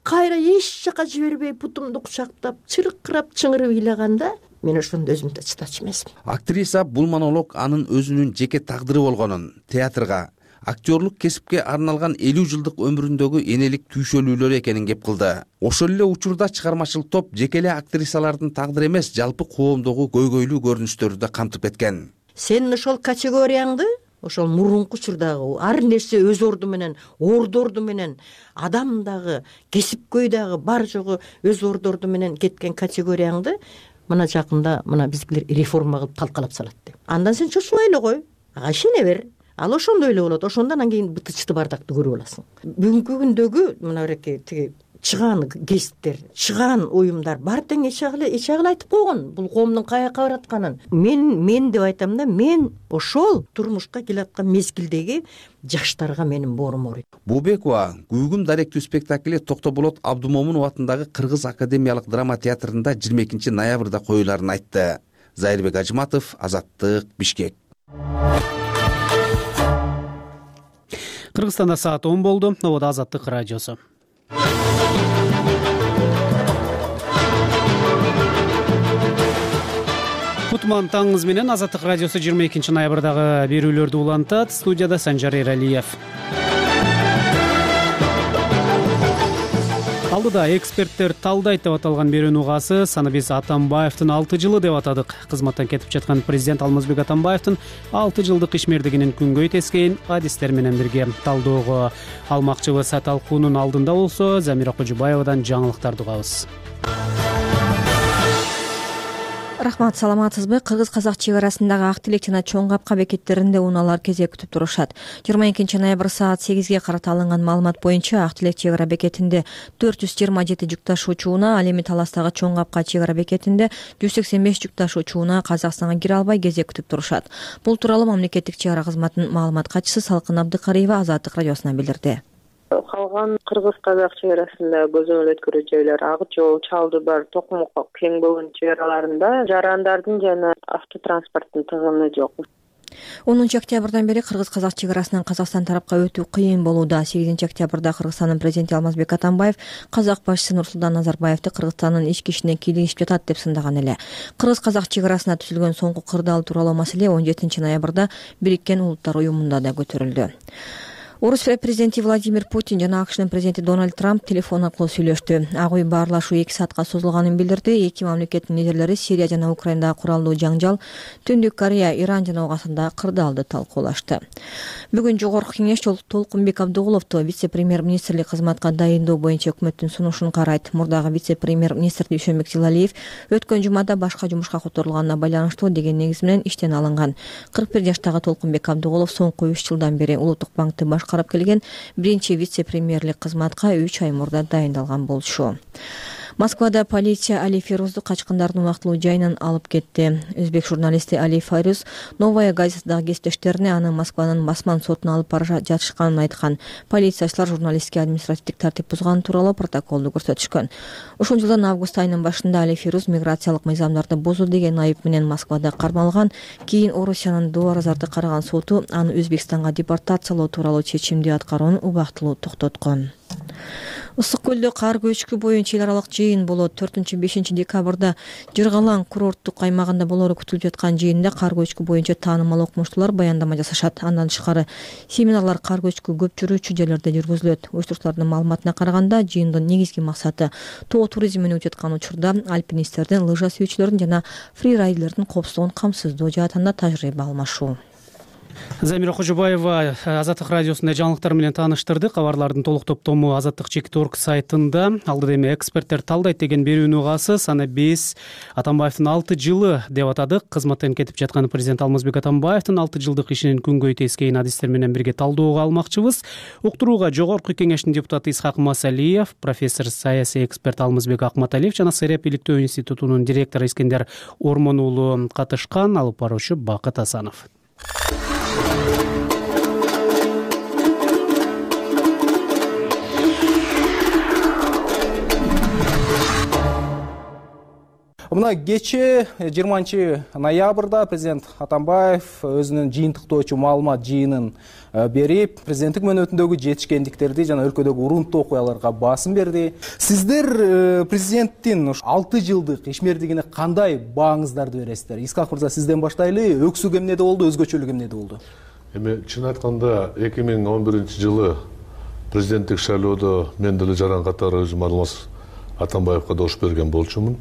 кайра эч жака жибербей путумду кучактап, чыркырап чыңырып ыйлаганда, мен ошондо өзүмдө чыдачу эмесмин. Актриса бул монолог анын өзүнүн жеке тагдыры болгонун, театрга, актерлук кесипке арналган 50 жылдык өмүрүндөгү энелик түйшөлүүлөр экенин кеп кылды. Ошол эле учурда чыгармачыл топ жеке эле актрисалардын тагдыры эмес, жалпы коомдогу көйгөйлүү көрүнүштөрдү да камтып кеткен. Сенин ошол категорияңды ошол мурунку учурдагы ар нерсе өз орду менен, ордорду менен, адам дагы, кесипкөй дагы бар жогу өз ордорду менен кеткен категорияңды мына жакында мына биздикилер реформа кылып талкалап салат деп. Андан сен чочубай эле кой, ага ишене бер. Ал ошондой эле болот. Ошондон анан кийин бытычты бардакты көрүп аласың. Бүгүнкү күндөгү мына тиги чыган кесиптер, чыган уюмдар бар тең эч агыл айтып койгон бул коомдун каяка баратканын. Мен деп айтам да, мен ошол турмушка келаткан мезгилдеги жаштарга менин боорум ооруйт. Бообекова Күйгүм даректүү спектакли Токтоболот Абдумомунов атындагы Кыргыз академиялык драма театрында 22 ноябрда коюларын айтты. Зайырбек Ажыматов, Азаттык, Бишкек. Кыргызстанда саат 10 болду. Ободо Азаттык радиосу. Кутман таңыңыз менен Азаттык радиосу 22 ноябрдагы берүүлөрдү улантат. Студияда Санжар Эралиев. Алдыда эксперттер талдайт деп аталган берүүнүн угасы Санабис Атамбаевдин 6 жылы деп атадык. Кызматтан кетип жаткан президент Алмазбек Атамбаевдин 6 жылдык ишмердигинин күнгөй тескейин адистер менен бирге талдөөгө алмакчыбыз. Талкуунун алдында болсо Замира Кожубаевадан жаңылыктарды угабыз. Рахмат, саламатсызбы? Кыргыз-казак чек арасындагы Ак Тилек жана Чоң Капка бекеттеринде унаалар кезек күтүп турушат. 22 ноябрь саат 8ге карата алынган маалымат боюнча Ак Тилек чек ара бекетинде 427 жүк ташуучу унаа, ал эми Таластагы Чоң Капка чек ара бекетинде 185 жүк ташуучу унаа Казакстанга кире албай кезек күтүп турушат. Бул тууралуу мамлекеттик чек ара кызматынын маалымат катчысы Салкын Абдыкариева Азаттык радиосуна билдирди. Калган кыргыз-казак чек арасында көзөмөл өткөрүү жайлар Ак Жол, Чалдыбар, Токмок, Кең болгон чек араларында жарандардын жана автотранспорттун тыгыны жок. 10 октябрдан бери кыргыз-казак чек арасынан Казакстан тарапка өтүү кыйын болууда. 8 октябрда Кыргызстандын президенти Алмазбек Атамбаев казак башчысы Нурсултан Назарбаевди Кыргызстандын ички ишине кийлигишип жатат деп сындаган эле. Кыргыз-казак чек арасында түзүлгөн соңку кырдаал тууралуу маселе 17 ноябрда Бириккен Улуттар уюмунда да көтөрүлдү. Орус президенти Владимир Путин жана АКШнын президенти Дональд Трамп телефон аркылуу сүйлөштү. Ак үй баарлашуу 2 саатка созулганын билдирди. Эки мамлекеттин лидерлери Сирия жана Украинадагы куралдуу жаңжал, Түндүк Корея, Иран жана Ооганстандагы кырдаалды талкуулашты. Бүгүн Жогорку кеңеш Толкунбек Абдыгуловду вице-премьер-министрлик кызматка дайындоо боюнча өкмөттүн сунушун карайт. Мурдагы вице-премьер-министр Дүйшөнбек Зилалиев өткөн жумада башка жумушка которулганына байланыштуу деген негиз менен иштен алынган. 41 жаштагы Толкунбек Абдыгулов соңку 3 жылдан бери Улуттук банкты карап келген биринчи вице-премьерлик кызматка 3 ай мурда дайындалган болчу. Москвада полиция Али Фирузду качкындардын убактылуу жайынан алып кетти. Өзбек журналисти Али Фирuz Новая газетадагы кесиптештерине аны Москванын басман сотуна алып бара жатышканын айткан. Полициячылар журналистке административдик тартип бузган тууралуу протоколду көрсөтүшкөн. Ушул жылдын август айынын башында Али Фирuz миграциялык мыйзамдарды бузуу деген айып менен Москвада кармалган. Кийин Орусиянын Дуаразарды караган соту аны Өзбекстанга депортациялоо тууралуу чечимди аткаруун убактылуу токтоткон. Ысык көлдө кар көчкү боюнча эл аралык жыйын болот. 4-5 декабрда Жыргалаң курорттук аймагында болору күтүлүп жаткан жыйында кар көчкү боюнча таанымал окумуштуулар баяндама жасашат. Андан тышкары семинарлар кар көчкү көп жүрүүчү жерлерде жүргүзүлөт. Уюштуруучулардын маалыматына караганда жыйындын негизги максаты тоо туризмин өтүп жаткан учурда альпинисттердин, лыжа сүйүүчүлөрдүн жана фрирайдерлердин коопсуздугун камсыздоо жаатында тажрыйба алмашуу. Замира Кожубаева Азаттык радиосунда жаңылыктар менен тааныштырды. Кабарлардын толук топтому Азаттык.org сайтында. Алдыда эми эксперттер талдайт деген берүүнүн угасы Санабис Атамбаевдин 6 жылы деп атадык. Кызматтан кетип жаткан президент Алмазбек Атамбаевдин 6 жылдык ишинин күнгөй тескейин адистер менен бирге талдөөгө алмакчыбыз. Уктурууга Жогорку кеңештин депутаты Исхак Масалиев, профессор саясий эксперт Алмазбек Акматалиев жана Сереп иликтөө институтунун директору Искендер Ормон уулу катышкан. Алып баруучу Бакыт Асанов. Мына кечээ 20 ноябрда президент Атамбаев өзүнүн жыйынтыктоочу маалымат жыйынын берип, президенттик мөөнөтүндөгү жетишкендиктерди жана өлкөдөгү урунттуу окуяларга басым берди. Сиздер президенттин 6 жылдык ишмердигине кандай бааңыздарды бересиздер? Исхак мырза, сизден баштайлы. Өксүк эмнеде болду, өзгөчөлүк эмнеде болду? Эми чын айтканда 2011 жылы президенттик шайлоодо мен деле жаран катары өзүм Алмаз Атамбаевга добуш берген болчумун.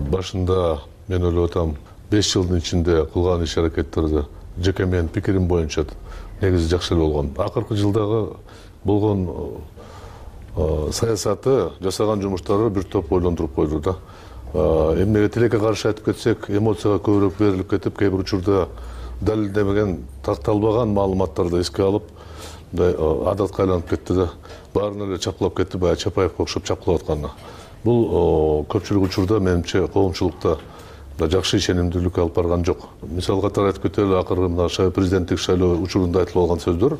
Башында мен ойлоп атам 5 жылдын ичинде кылган иш аракеттерди жеке менин пикирим боюнча негизи жакшы эле болгон. Акыркы жылдагы болгон саясаты, жасаган жумуштары бир топ ойлондуруп койду да. Эмнеге тилекке каршы айтып кетсек, эмоцияга көбүрөөк берилип кетип, кээ бир учурда далилденбеген, такталбаган маалыматтарды эске алып, мындай адатка айланып кетти да. Баарын эле чапкылап кетти, баягы Чапаевге окшоп чапкылап атканы. Бул көпчүлүк учурда менимче коомчулукта жакшы ишенимдүүлүккө алып барган жок. Мисал катары айтып кетели, акыркы мына президенттик шайлоо учурунда айтылып алган сөздөр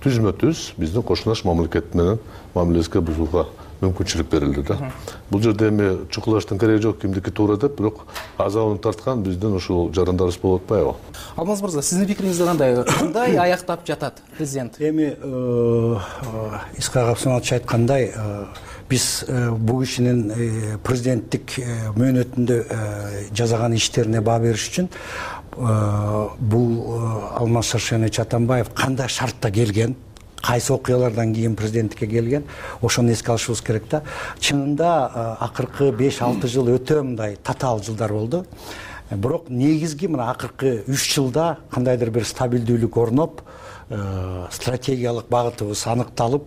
түзмө-түз биздин кошунаш мамлекет менен мамилебизге бузууга мүмкүнчүлүк берилди да. Бул жерде эми чукулаштын кереги жок, кимдики туура деп, бирок азабын тарткан биздин ушул жарандарыбыз болуп атпайбы? Алмаз мырза, сиздин пикириңиз кандай? Кандай аяктап жатат президент? Эми Исхак Абсанович айткандай, биз бул кишинин президенттик мөөнөтүндө жасаган иштерине баа бериш үчүн бул Алмаз Шаршенович Атамбаев кандай шартта келген, кайсы окуялардан кийин президенттикке келген, ошону эске алышыбыз керек да. Чынында акыркы 5-6 жыл өтө мындай татаал жылдар болду. Бирок негизги мына акыркы 3 жылда кандайдыр бир стабилдүүлүк орноп, стратегиялык багытыбыз аныкталып,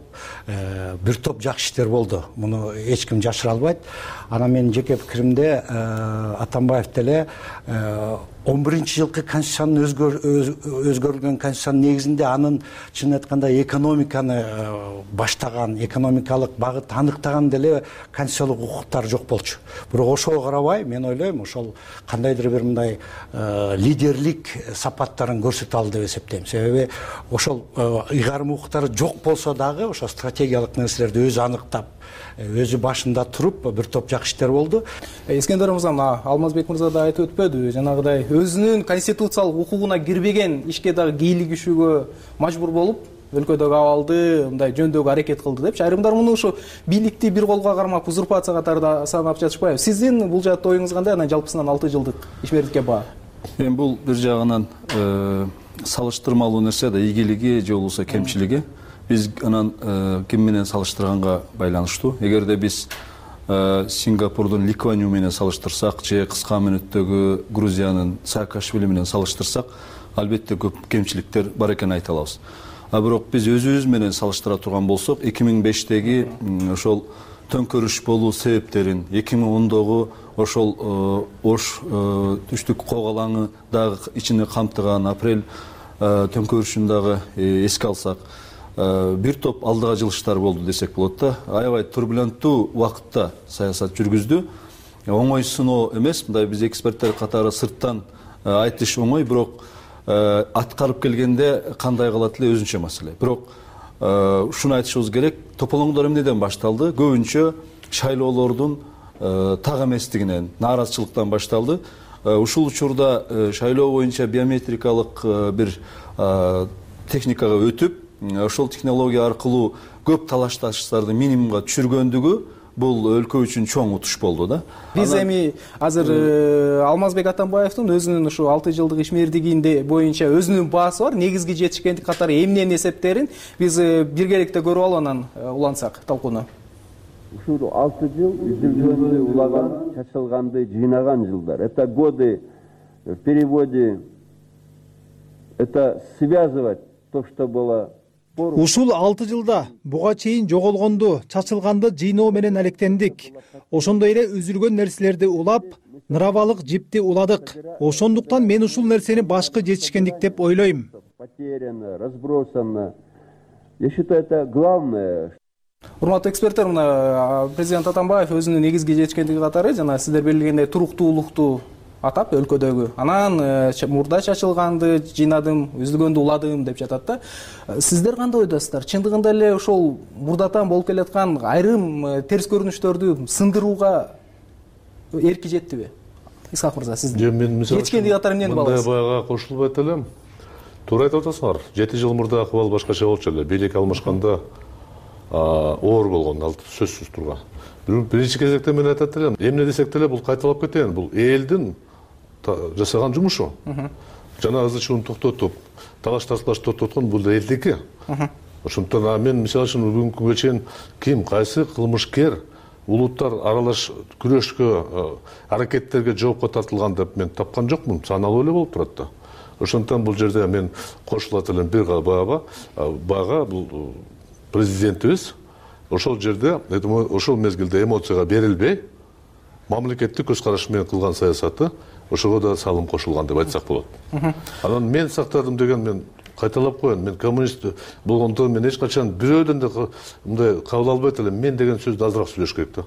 бир топ жакшы иштер болду. Муну эч ким жашыра албайт. Анан менин жеке пикиримде Атамбаев деле 11-жылкы конституциянын өзгөрүлгөн конституциянын негизинде анын чын айтканда экономиканы баштаган, экономикалык багыт аныктаган деле конституциялык укуктар жок болчу. Бирок ошого карабай, мен ойлойм, ошол кандайдыр бир мындай лидерлик сапаттарын көрсөтө алды деп эсептейм. Себеби ошол ыйгарым укуктары жок болсо дагы, ошо стратегиялык нерселерди өзү аныктап, өзү башында туруп бир топ жакшы иштер болду. Искендер мырза, Алмазбек мырза да айтып өтпөдү, жанагыдай өзүнүн конституциялык укугуна кирбеген ишке дагы кийлигишүүгө мажбур болуп, өлкөдөгү абалды мындай жөндөөгө аракет кылды депчи. Айрымдар муну ушу бийликти бир колго кармап узурпация катарында санап жатышпайбы? Сиздин бул жаатта оюңуз кандай? Анан жалпысынан 6 жылдык ишмердикке баа? Эми бул бир жагынан салыштырмалуу нерсе да, ийгилиги же болбосо кемчилиги. Биз анан ким менен салыштырганга байланыштуу. Эгерде биз Сингапурдун Ли Куан Ю менен салыштырсак, же кыска мөөнөттөгү Грузиянын Саакашвили менен салыштырсак, албетте көп кемчиликтер бар экенин айта алабыз. Бирок биз өзүбүз менен салыштыра турган болсок, 2005-теги ошол төңкөрүш болуу себептерин, 2010-догу ошол Ош түштүк когалаңы дагы ичине камтыган апрель төңкөрүшүн дагы эске алсак, бир топ алдыга жылыштар болду десек болот да. Аябай турбуленттүү убакытта саясат жүргүздү. Оңой сыноо эмес, мындай биз эксперттер катары сырттан айтыш оңой, бирок аткарып келгенде кандай калат эле өзүнчө маселе. Бирок ушуну айтышыбыз керек, тополоңдор эмнеден башталды? Көбүнчө шайлоолордун так эместигинен, нааразычылыктан башталды. Ушул учурда шайлоо боюнча биометрикалык бир техникага өтүп, ошол технология аркылуу көп талаш-тартыштарды минимумга түшүргөндүгү бул өлкө үчүн чоң утуш болду да. Биз эми азыр Алмазбек Атамбаевдин өзүнүн ушу 6 жылдык ишмердигинде боюнча өзүнүн баасы бар, негизги жетишкендик катары эмнени эсептерин биз биргеликте көрүп алып анан улантсак талкууну. Ушул 6 жыл изилдөөнү улаган, чачылганды жыйнаган жылдар. Это годы в переводе, это связывать то, что было. Ушул 6 жылда буга чейин жоголгонду, чачылганды жыйноо менен алектендик. Ошондой эле үзүлгөн нерселерди улап, ныравалык жипти уладык. Ошондуктан мен ушул нерсени башкы жетишкендик деп ойлойм. Потеряно, разбросано. Я считаю, это главное. Урматтуу эксперттер, мына президент Атамбаев өзүнүн негизги жетишкендиги катары жана сиздер белгилегендей туруктуулукту атап өлкөдөгү. Анан мурда чачылганды жыйнадым, үзүлгөндү уладым деп жатат да. Сиздер кандай ойдосуздар? Чындыгында эле ошол мурдатан болуп келаткан айрым терс көрүнүштөрдү сындырууга эрки жеттиби? Исхак мырза, сиздин жетишкендиги катары эмнени баалайсыз? Мындай баяга кошулбайт элем. Туура айтып атасыңар. 7 жыл мурда акыбал башкача болчу эле. Бийлик алмашканда оор болгон, ал сөзсүз турган. Биринчи кезекте мен айтат элем, эмне десек деле бул кайталап кетейин. Бул элдин жасаган жумушу. Жана ызы чууну токтотуп, талаш-тартыштарды токтоткон бул элдики. Ошондуктан мен мисалы үчүн бүгүнкү күнгө чейин ким, кайсы кылмышкер улуттар аралаш күрөшкө, аракеттерге жоопко тартылган деп мен тапкан жокмун. Саналуу эле болуп турат да. ошондуктан бул жерде мен кошулат элем бир бага бул президентибиз ошол жерде ошол мезгилде эмоцияга берилбей мамлекеттик көз карашы менен кылган саясаты ошого да салым кошулган деп айтсак болот. Анан мен сактадым деген мен кайталап коеюн, мен коммунист болгондон мен эч качан бирөөдөн да мындай кабыл албайт элем. Мен деген сөздү азыраак сүйлөш керек да.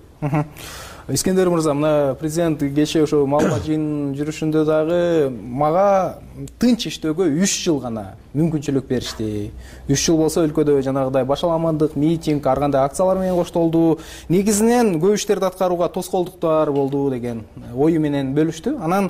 Искендер мырза, мына президент кечээ ошо маалымат жыйынынын жүрүшүндө дагы мага тынч иштөөгө 3 жыл гана мүмкүнчүлүк беришти. 3 жыл болсо өлкөдө жанагыдай башаламандык, митинг, ар кандай акциялар менен коштолду. Негизинен көп иштерди аткарууга тоскоолдуктар болду деген ою менен бөлүштү. Анан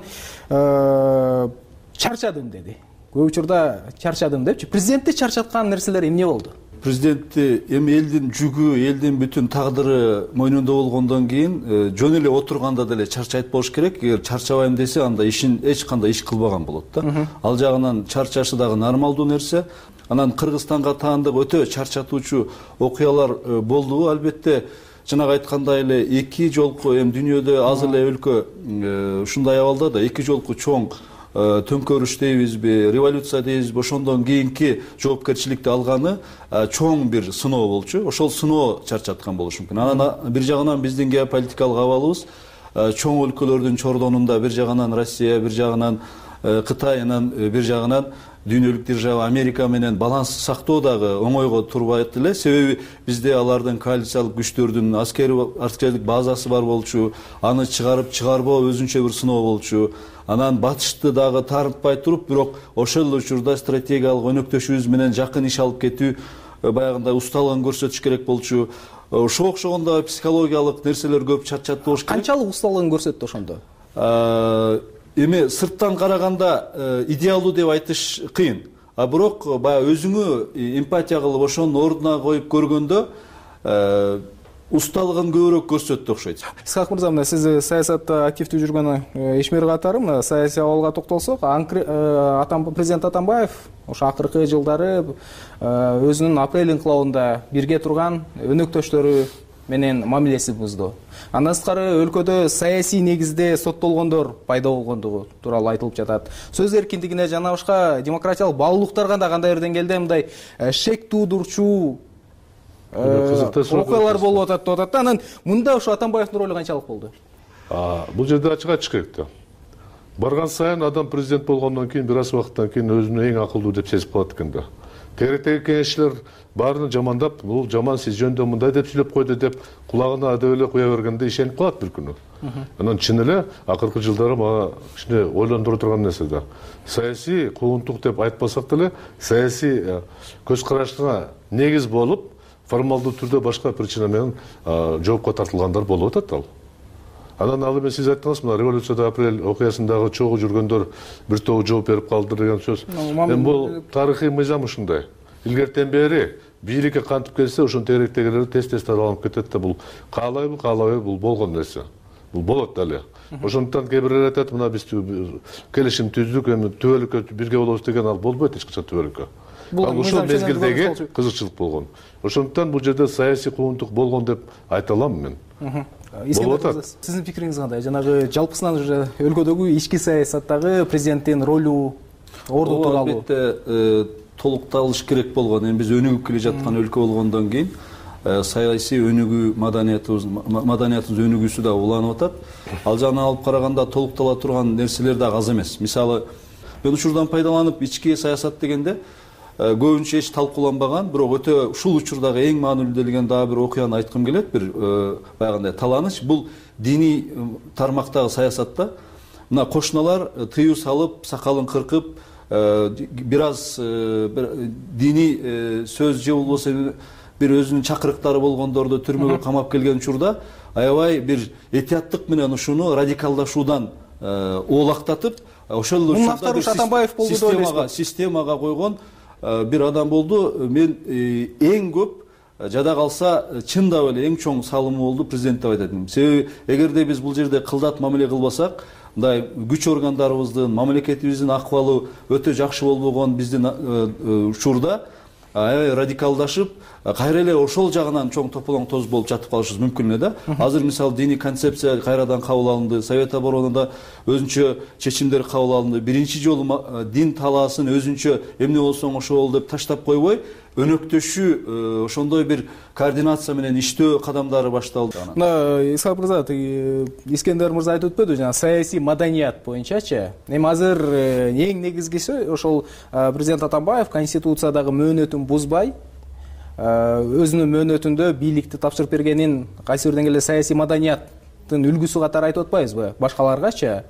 чарчадым деди. Көп учурда чарчадым депчи. Президентти чарчаткан нерселер эмне болду? Президентти эми элдин жүгү, элдин бүтүн тагдыры мойнунда болгондон кийин жөн эле отурганда деле чарчайт болуш керек. Эгер чарчабайм десе, анда ишин эч кандай иш кылбаган болот да. Ал жагынан чарчашы дагы нормалдуу нерсе. Анан Кыргызстанга таандык өтө чарчатуучу окуялар болду. Албетте, жанагы айткандай эле эки жолку эми дүйнөдө аз эле өлкө ушундай абалда да эки жолку чоң төңкөрүш дейбизби, революция дейбизби, ошондон кийинки жоопкерчиликти алганы чоң бир сыноо болчу. Ошол сыноо чарчаткан болушу мүмкүн. Анан бир жагынан биздин геополитикалык абалыбыз чоң өлкөлөрдүн чордонунда бир жагынан Россия, бир жагынан Кытай, анан бир жагынан дүйнөлүк держава Америка менен баланс сактоо дагы оңойго турбайт эле. Себеби бизде алардын коалициялык күчтөрдүн аскердик базасы бар болчу, аны чыгарып чыгарбоо өзүнчө бир сыноо болчу. Анан батышты дагы тартпай туруп, бирок ошол учурда стратегиялык өнөктөшүбүз менен жакын иш алып кетүү, баягындай усталыгын көрсөтүш керек болчу. Ошого окшогондо психологиялык нерселер көп чарчатты болуш керек. Канчалык усталыгын көрсөттү ошондо? Эми сырттан караганда идеалдуу деп айтыш кыйын. Бирок баягы өзүңө эмпатия кылып ошонун ордуна коюп көргөндө усталыгын көбүрөөк көрсөттү окшойт. Исхак мырза, мына сиз саясатта активдүү жүргөн ишмер катары мына саясий абалга токтолсок, президент Атамбаев ошо акыркы жылдары өзүнүн апрель инкылабында бирге турган өнөктөштөрү менен мамилеси бузду. Андан сырткары өлкөдө саясий негизде соттолгондор пайда болгондугу тууралуу айтылып жатат. Сөз эркиндигине жана башка демократиялык баалуулуктарга да кандайдыр деңгээлде мындай шек туудурчу окуялар болуп атат деп атат да. Анан мында ошо Атамбаевдин ролу канчалык болду? Бул жерде ачык айтыш керек да. Барган сайын адам президент болгондон кийин бир аз убакыттан кийин өзүнү эң акылдуу деп сезип калат экен да. Тегеректеги кеңешчилер баарын жамандап, бул жаман, сиз жөндө мындай деп сүйлөп койду деп кулагына адеп эле куя бергенде ишенип калат бир күнү. Анан чын эле акыркы жылдары мага кичине ойлондура турган нерсе да. Саясий куугунтук деп айтпасак деле, саясий көз карашына негиз болуп, формалдуу түрдө башка причина менен жоопко тартылгандар болуп атат ал. Анан ал эми сиз айттыңыз, мына революцияда апрель окуясындагы чогуу жүргөндөр бир тобу жооп берип калды деген сөз. Эми бул тарыхый мыйзам ушундай. Илгертен бери бийликке кантип келсе, ошон тегеректегилер тез таралып кетет да, бул каалайбы бул болгон нерсе. Бул болот дале. Ошондуктан кээ бирлер айтат, мына биз келишим түздүк, эми түбөлүккө бирге болобуз деген ал болбойт эч качан түбөлүккө. Ал ушул мезгилдеги кызыкчылык болгон. Ошондуктан бул жерде саясий куугунтук болгон деп айта алам мен. Сиздин пикириңиз кандай? Жанагы жалпысынан уже өлкөдөгү ички саясаттагы президенттин ролу, орду тууралуу. Албетте толукталыш керек болгон. Эми биз өнүгүп келе жаткан өлкө болгондон кийин саясий өнүгүү, маданиятыбыз өнүгүүсү да уланып атат. Ал жагынан алып караганда толуктала турган нерселер да аз эмес. Мисалы, мен учурдан пайдаланып ички саясат дегенде көбүнчө эч талкууланбаган, бирок өтө ушул учурдагы эң маанилүү делген дагы бир окуяны айткым келет. Бир баягындай таланыч, бул диний тармактагы саясатта мына кошуналар тыюу салып, сакалын кыркып, бир аз диний сөз же болбосо бир өзүнүн чакырыктары болгондорду түрмөгө камап келген учурда аябай бир этияттык менен ушуну радикалдашуудан оолактатып, ошол учурда системага койгон бир адам болду. Мен эң көп жада калса чындап эле эң чоң салымы болду президент деп айтат элем. Себеби эгерде биз бул жерде кылдат мамиле кылбасак, мындай күч органдарыбыздын, мамлекетибиздин акыбалы өтө жакшы болбогон биздин учурда аябай радикалдашып кайра эле ошол жагынан чоң тополоң тоз болуп жатып калышыбыз мүмкүн эле да. Азыр мисалы диний концепция кайрадан кабыл алынды, Совет оборонада өзүнчө чечимдер кабыл алынды. Биринчи жолу дин талаасын өзүнчө эмне болсоң ошол деп таштап койбой, өнөктөшүү, ошондой бир координация менен иштөө кадамдары башталды. Исхак мырза, Искендер мырза айтып өтпөдү, жана саясий маданият боюнчачы. Эми азыр эң негизгиси ошол президент Атамбаев конституциядагы мөөнөтүн бузбай, өзүнүн мөөнөтүндө бийликти тапшырып бергенин кайсы бир деңгээлде саясий маданияттын үлгүсү катары айтып атпайбызбы башкаларгачы?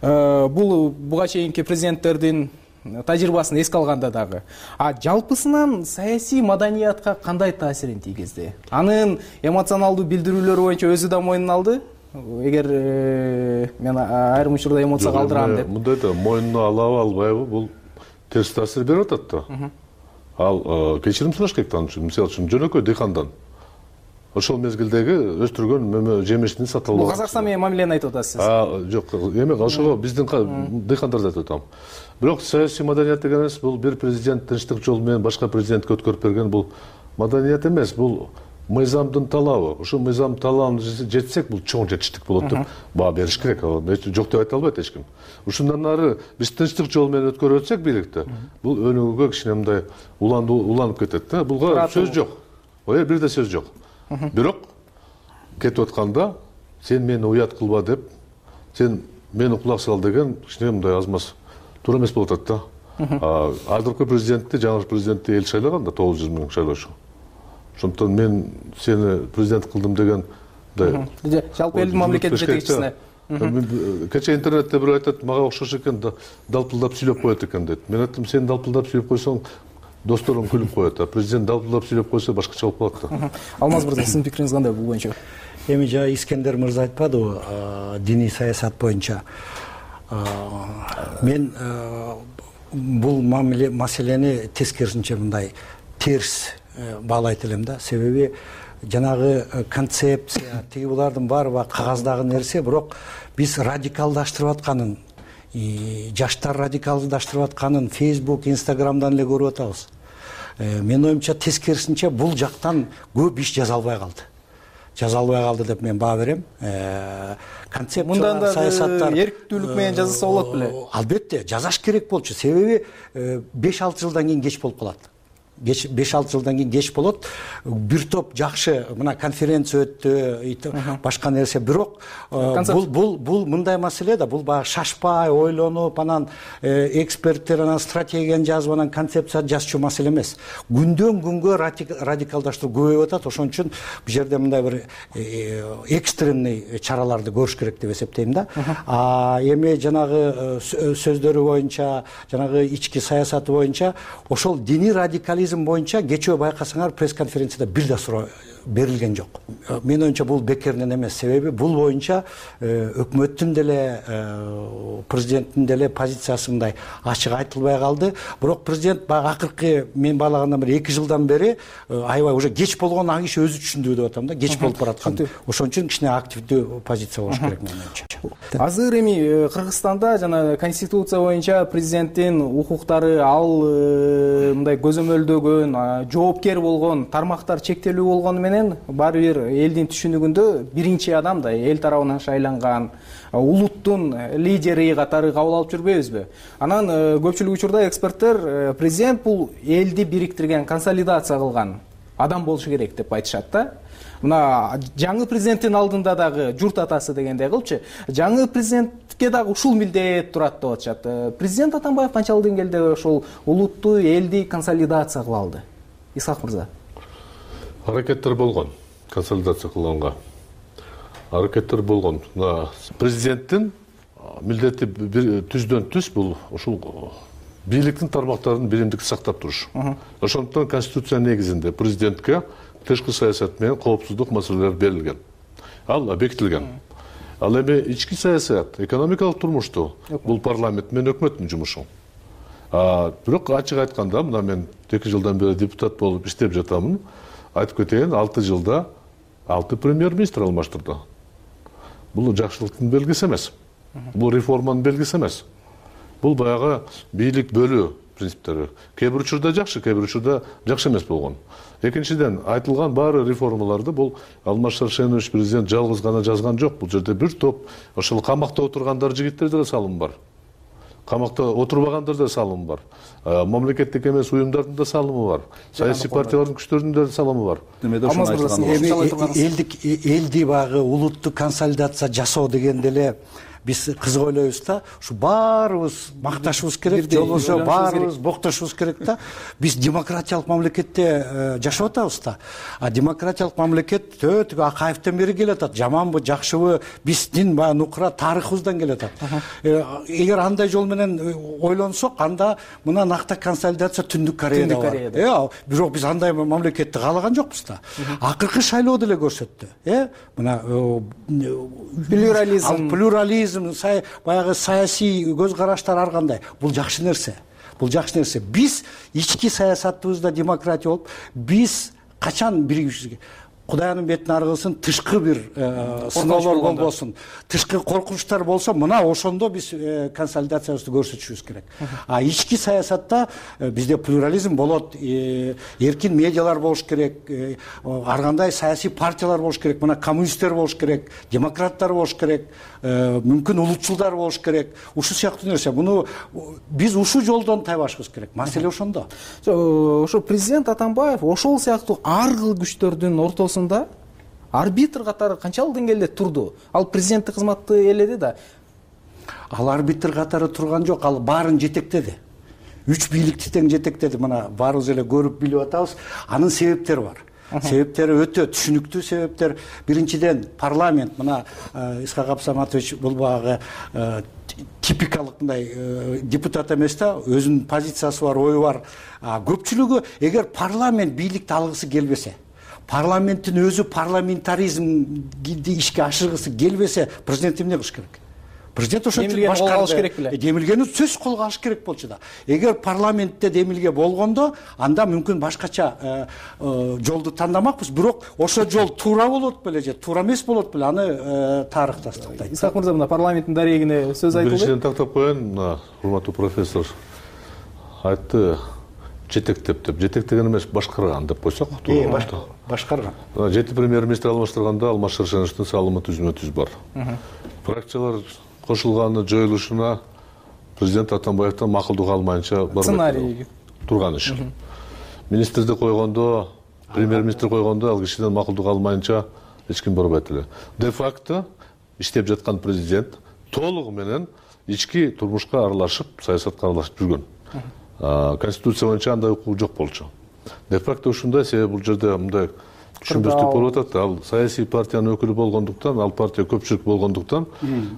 Бул буга чейинки президенттердин тажрыйбасын эске алганда дагы. Жалпысынан саясий маданиятка кандай таасирин тийгизди? Анын эмоционалдуу билдирүүлөрү боюнча өзү да мойнуна алды. Эгер мен айрым учурда эмоцияга алдырам деп. Мындай да мойнуна алабы, албайбы, бул терс таасир берип атат да. Ал кечирим сураш керек да, мисалы үчүн жөнөкөй дыйкандан ошол мезгилдеги өстүргөн жемишин сата албак. Бул Казакстан менен мамилени айтып атасыз. Жок, эме ошого биздин дыйкандарды айтып атам. Бирок саясий маданият деген эмес, бул бир президент тынчтык жолу менен башка президентке өткөрүп берген, бул маданият эмес, бул мыйзамдын талабы. Ошол мыйзам талабын жетсек, бул чоң жетиштик болот деп баа бериш керек. Жок деп айта албайт эч ким. Ушундан ары биз тынчтык жолу менен өткөрүп өтсөк бийликти, бул өнүгүүгө кичине мындай уланып кетет да. Булга сөз жок. Бир да сөз жок. Бирок кетип атканда сен мени уят кылба деп, сен мени кулак сал деген кичине мындай аз маз туура эмес болуп атат да. Азыркы президентти, жаңы президентти эл шайлаган да, 900 000 шайлоочу. Ошондуктан мен сени президент кылдым деген жалпы элдин мамлекет жетекчисине. Кече интернетте бирөө айтат, мага окшош экен, далпылдап сүйлөп коет экен дейт. Мен айттым, сен далпылдап сүйлөп койсоң досторуң күлүп коет, президент далпылдап сүйлөп койсо башкача болуп калат да. Алмаз мырза, сиздин пикириңиз кандай бул боюнча? Эми жана Искендер мырза айтпадыбы, диний саясат боюнча. Мен бул маселени тескерисинче мындай терс баалайт элем да. Себеби жанагы концепция, тиги булардын баары кагаздагы нерсе, бирок биз радикалдаштырып атканын, жаштар радикалдаштырып атканын Facebook, Instagramдан эле көрүп атабыз. Менин оюмча тескерисинче бул жактан көп иш жаза албай калды деп мен баа берем. Концепциялар, саясаттар эрктүүлүк менен жазса болот беле? Албетте, жазаш керек болчу. Себеби 5-6 жылдан кийин кеч болуп калат. 5-6 жылдан кийин кеч болот. Бир топ жакшы мына конференция өттү, башка нерсе. Бирок бул мындай маселе да, бул баягы шашпай, ойлонуп, анан эксперттер анан стратегияны жазып, анан концепция жазчу маселе эмес. Күндөн күнгө радикалдаштыруу көбөйүп атат. Ошон үчүн бул жерде мындай бир экстремный чараларды көрүш керек деп эсептейм да. Эми жанагы сөздөрү боюнча, жанагы ички саясаты боюнча, ошол диний радикализм боюнча кечээ байкасаңар пресс-конференцияда бир да суроо берилген жок. Менин оюмча бул бекеринен эмес. Себеби бул боюнча өкмөттүн деле, президенттин деле позициясы мындай ачык айтылбай калды. Бирок президент баягы акыркы мен баалагандан бери 2 жылдан бери аябай уже кеч болгон ак иш өзү түшүндү деп атам да, кеч болуп бараткан. Ошон үчүн кичине активдүү позиция болуш керек менин оюмча. Азыр эми Кыргызстанда жана конституция боюнча президенттин укуктары, ал мындай көзөмөлдөгөн, жоопкер болгон тармактар чектелүү болгону менен баары бир элдин түшүнүгүндө биринчи адам да эл тарабынан шайланган улуттун лидери катары кабыл алып жүрбөйбүзбү? Анан көпчүлүк учурда эксперттер президент бул элди бириктирген, консолидация кылган адам болушу керек деп айтышат да. Мына жаңы президенттин алдында дагы журт атасы дегендей кылчу, жаңы президентке дагы ушул милдет турат деп атышат. Президент Атамбаев канчалык деңгээлде ошол улутту, элди консолидация кыла алды? Исхак мырза. Аракеттер болгон консолидация кылганга. Аракеттер болгон. Президенттин милдети түздөн түз бул ушул бийликтин тармактарын биримдикти сактап туруш. Ошондуктан конституция негизинде президентке тышкы саясат менен коопсуздук маселелери берилген. Ал бекитилген. Ал эми ички саясат, экономикалык турмушту бул парламент менен өкмөттүн жумушу. Бирок ачык айтканда, мына мен 2 жылдан бери депутат болуп иштеп жатамын. Айтып кетейин, 6 жылда 6 премьер-министр алмаштырды. Бул жакшылыктын белгиси эмес. Бул реформанын белгиси эмес. Бул баягы бийлик бөлүү, принциптери. Кээ бир учурда жакшы, кээ бир учурда жакшы эмес болгон. Экинчиден, айтылган баары реформаларды бул Алмаз Шаршенович президент жалгыз гана жазган жок. Бул жерде бир топ ошол камакта отургандар жигиттерде да салым бар. Камакта отурбагандар да салымы бар. Мамлекеттик эмес уюмдардын да салымы бар. Саясий партиялардын күчтөрүнүн да салымы бар. Элди багы улуттук консолидация жасоо дегенде эле биз кызык ойлойбуз да, ушу баарыбыз макташыбыз керек, же болбосо баарыбыз боктошубуз керек да. Биз демократиялык мамлекетте жашап атабыз да. А демократиялык мамлекет төгө Акаевден бери келатат. Жаманбы, жакшыбы, биздин баягы нукура тарыхыбыздан келатат. Эгер андай жол менен ойлонсок, анда мына накта консолидация Түндүк Кореяда бар. Бирок биз андай мамлекетти каалаган жокпуз да. Акыркы шайлоо деле көрсөттү. Мына плюрализм, баягы саясий көз караштар ар кандай. Бул жакшы нерсе. Бул жакшы нерсе. Биз ички саясатыбызда демократия болуп, биз качан биригибизге Кудайдын бетин ары кылсын, тышкы бир сыноолор болбосун, тышкы коркунучтар болсо, мына ошондо биз консолидациябызды көрсөтүшүбүз керек. А ички саясатта бизде плюрализм болот, эркин медиалар болуш керек, ар кандай саясий партиялар болуш керек, мына коммунисттер болуш керек, демократтар болуш керек, мүмкүн улутчулдар болуш керек. Ушул сыяктуу нерсе. Муну биз ушул жолдон тайбашыбыз керек. Маселе ошондо. Ошо президент Атамбаев ошол сыяктуу ар кыл күчтөрдүн ортосунда арбитр катары канчалык деңгээлде турду? Ал президенттик кызматты ээледи да. Ал арбитр катары турган жок, ал баарын жетектеди. Үч бийликти тең жетектеди. Мына баарыбыз эле көрүп билип атабыз. Анын себептери бар. Себептери өтө түшүнүктүү себептер. Биринчиден, парламент, мына Исхак Абсаматович бул багы типикалык мындай депутат эмес да, өзүнүн позициясы бар, ою бар. Көпчүлүгү эгер парламент бийликти алгысы келбесе, парламенттин өзү парламентаризмди ишке ашыргысы келбесе, президент эмне кылыш керек? Президент ошо башкарды. Демилгени сөз колго алыш керек болчу да. Эгер парламентте демилге болгондо, анда мүмкүн башкача жолду тандамакпыз, бирок ошо жол туура болот беле же туура эмес болот беле, аны тарых тастыктайт. Исхак мырза, мына парламенттин дарегине сөз айтылды. Биринчиден тактап коеюн, мына урматтуу профессор айтты, жетектеп деп. Жетектеген эмес, башкарган деп койсок. Башкарган. 7 премьер-министр алмаштырганда Алмаз Шаршеновичтин салымы түзмө-түз бар. Фракциялар кошулганы жоюлушуна президент Атамбаевден макулдук алмайынча сценарий турган иш. Министрди койгондо, премьер-министр койгондо ал кишиден макулдук алмайынча эч ким барбайт эле. Де факто иштеп жаткан президент толугу менен ички турмушка аралашып, саясатка аралашып жүргөн. Конституция боюнча андай укук жок болчу. Де факто ушундай, себеби бул жерде мындай түшүнбөстүк болуп атат. Ал саясий партиянын өкүлү болгондуктан, ал партия көпчүлүк болгондуктан,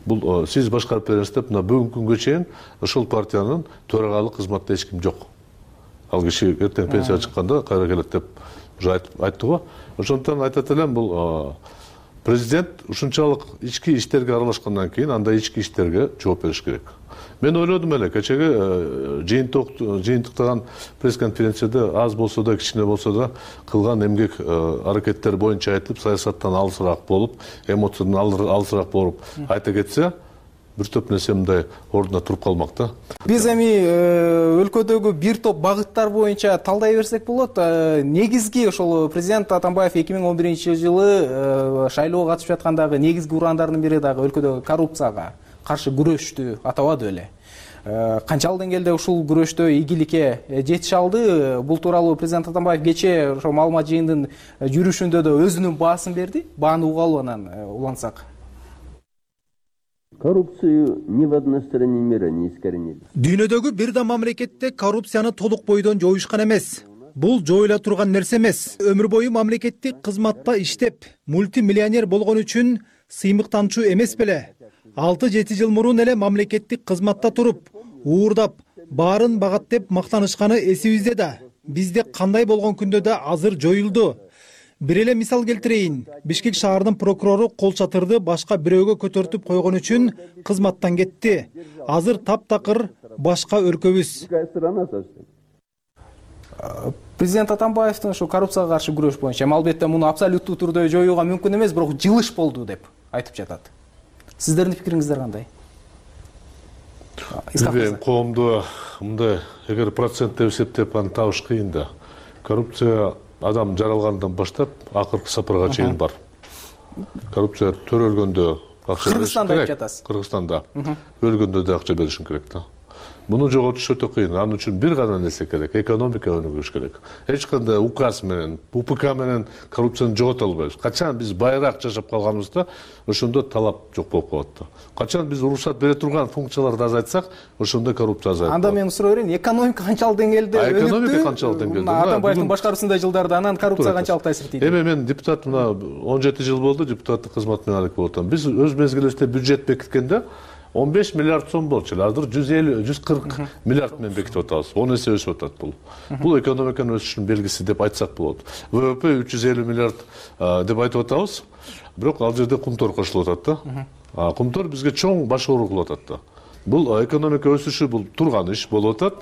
бул сиз башкарып бересиз деп, мына бүгүнкү күнгө чейин ошол партиянын төрагалык кызматында эч ким жок. Ал киши эртең пенсияга чыкканда кайра келет деп уже айтты го. Ошондуктан айтат элем, бул президент ушунчалык ички иштерге аралашкандан кийин андай ички иштерге жооп бериш керек. Мен ойлодум эле, кечеги жыйынтыктаган пресс-конференцияда аз болсо да, кичине болсо да кылган эмгек аракеттер боюнча айтылып, саясаттан алысыраак болуп, эмоциядан алысыраак болуп айта кетсе, бир топ нерсе мындай ордуна туруп калмак да. Биз эми өлкөдөгү бир топ багыттар боюнча талдай берсек болот. Негизги ошол президент Атамбаев 2011-жылы шайлоого катышып жаткандагы негизги урандардын бири дагы өлкөдөгү коррупцияга каршы күрөштү атабады беле. Канчалык деңгээлде ушул күрөштө ийгиликке жетише алды? Бул тууралуу президент Атамбаев кечээ ошо маалымат жыйындын жүрүшүндө да өзүнүн баасын берди. Бааны угалы анан улантсак. Коррупцию ни в одной стране мира не искоренили. Дүйнөдөгү бир да мамлекетте коррупцияны толук бойдон жоюшкан эмес. Бул жоюла турган нерсе эмес. Өмүр бою мамлекеттик кызматта иштеп, мультимиллионер болгон үчүн сыймыктанчу эмес беле. 6-7 жыл мурун эле мамлекеттик кызматта туруп, уурдап, баарын багаттеп мактанышканы эсибизде да. Бизде кандай болгон күндө да азыр жоюлду. Бир эле мисал келтирейин. Бишкек шаарынын прокурору кол чатырды башка бирөөгө көтөртүп койгон үчүн кызматтан кетти. Азыр таптакыр башка өлкөбүз. Президент Атамбаевдин ошо коррупцияга каршы күрөш боюнча албетте муну абсолюттуу түрдө жоюуга мүмкүн эмес, бирок жылыш болду деп айтып жатат. Сиздердин пикириңиздер кандай? Коомдо мындай эгер процентте эсептеп аны табыш кыйын да. Коррупция адам жаралгандан баштап акыркы сапарга чейин бар. Коррупция төрөлгөндө акча бериш керек. Кыргызстанда жатасыз. Кыргызстанда өлгөндө да акча беришин керек да. Муну жоготуш өтө кыйын. Анын үчүн бир гана нерсе керек, экономика өнүгүш керек. Эч кандай указ менен, УПК менен коррупцияны жогото албайбыз. Качан биз байыраак жашап калганыбызда, ошондо талап жок болуп калат да. Качан биз уруксат бере турган функцияларды азайтсак, ошондо коррупция азайып. Анда мен сурай берейин, экономика канчалык деңгээлде өнүктү? Экономика канчалык деңгээлде? Атамбаевдин башкаруусундай жылдарда анан коррупция канчалык таасир этти? Эми мен депутат мына 17 жыл болду, депутаттык кызмат менен алек болуп атам. Биз өз мезгилибизде бюджет бекиткенде 15 миллиард сом болчу. Азыр 140 миллиард менен бекитип атабыз. 10 эсе өсүп атат бул. Бул экономиканын өсүшүнүн белгиси деп айтсак болот. ВВП 350 миллиард деп айтып атабыз. Бирок ал жерде кумтор кошулуп атат да. Кумтор бизге чоң баш оор кылып атат да. Бул экономика өсүшү бул турган иш болуп атат.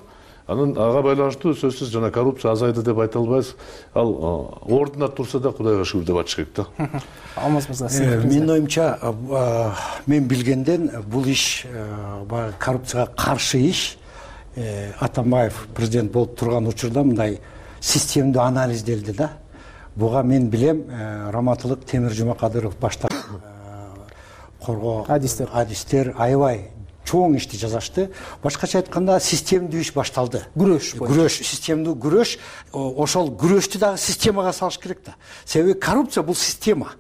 Анын ага байланыштуу сөзсүз жана коррупция азайды деп айта албайбыз. Ал ордуна турса да Кудайга шүгүр деп айтыш керек да. Алмаз мырза, менин оюмча, мен билгенден бул иш коррупцияга каршы иш Атамбаев президент болуп турган учурда мындай системдүү анализделди да. Буга мен билем Раматылык Темир Жумакадыров баштап коргоо адистер аябай чоң ишти жасашты. Башкача айтканда системдүү иш башталды. Күрөш, системдүү күрөш. Ошол күрөштү дагы системага салыш керек да. Себеби коррупция бул система.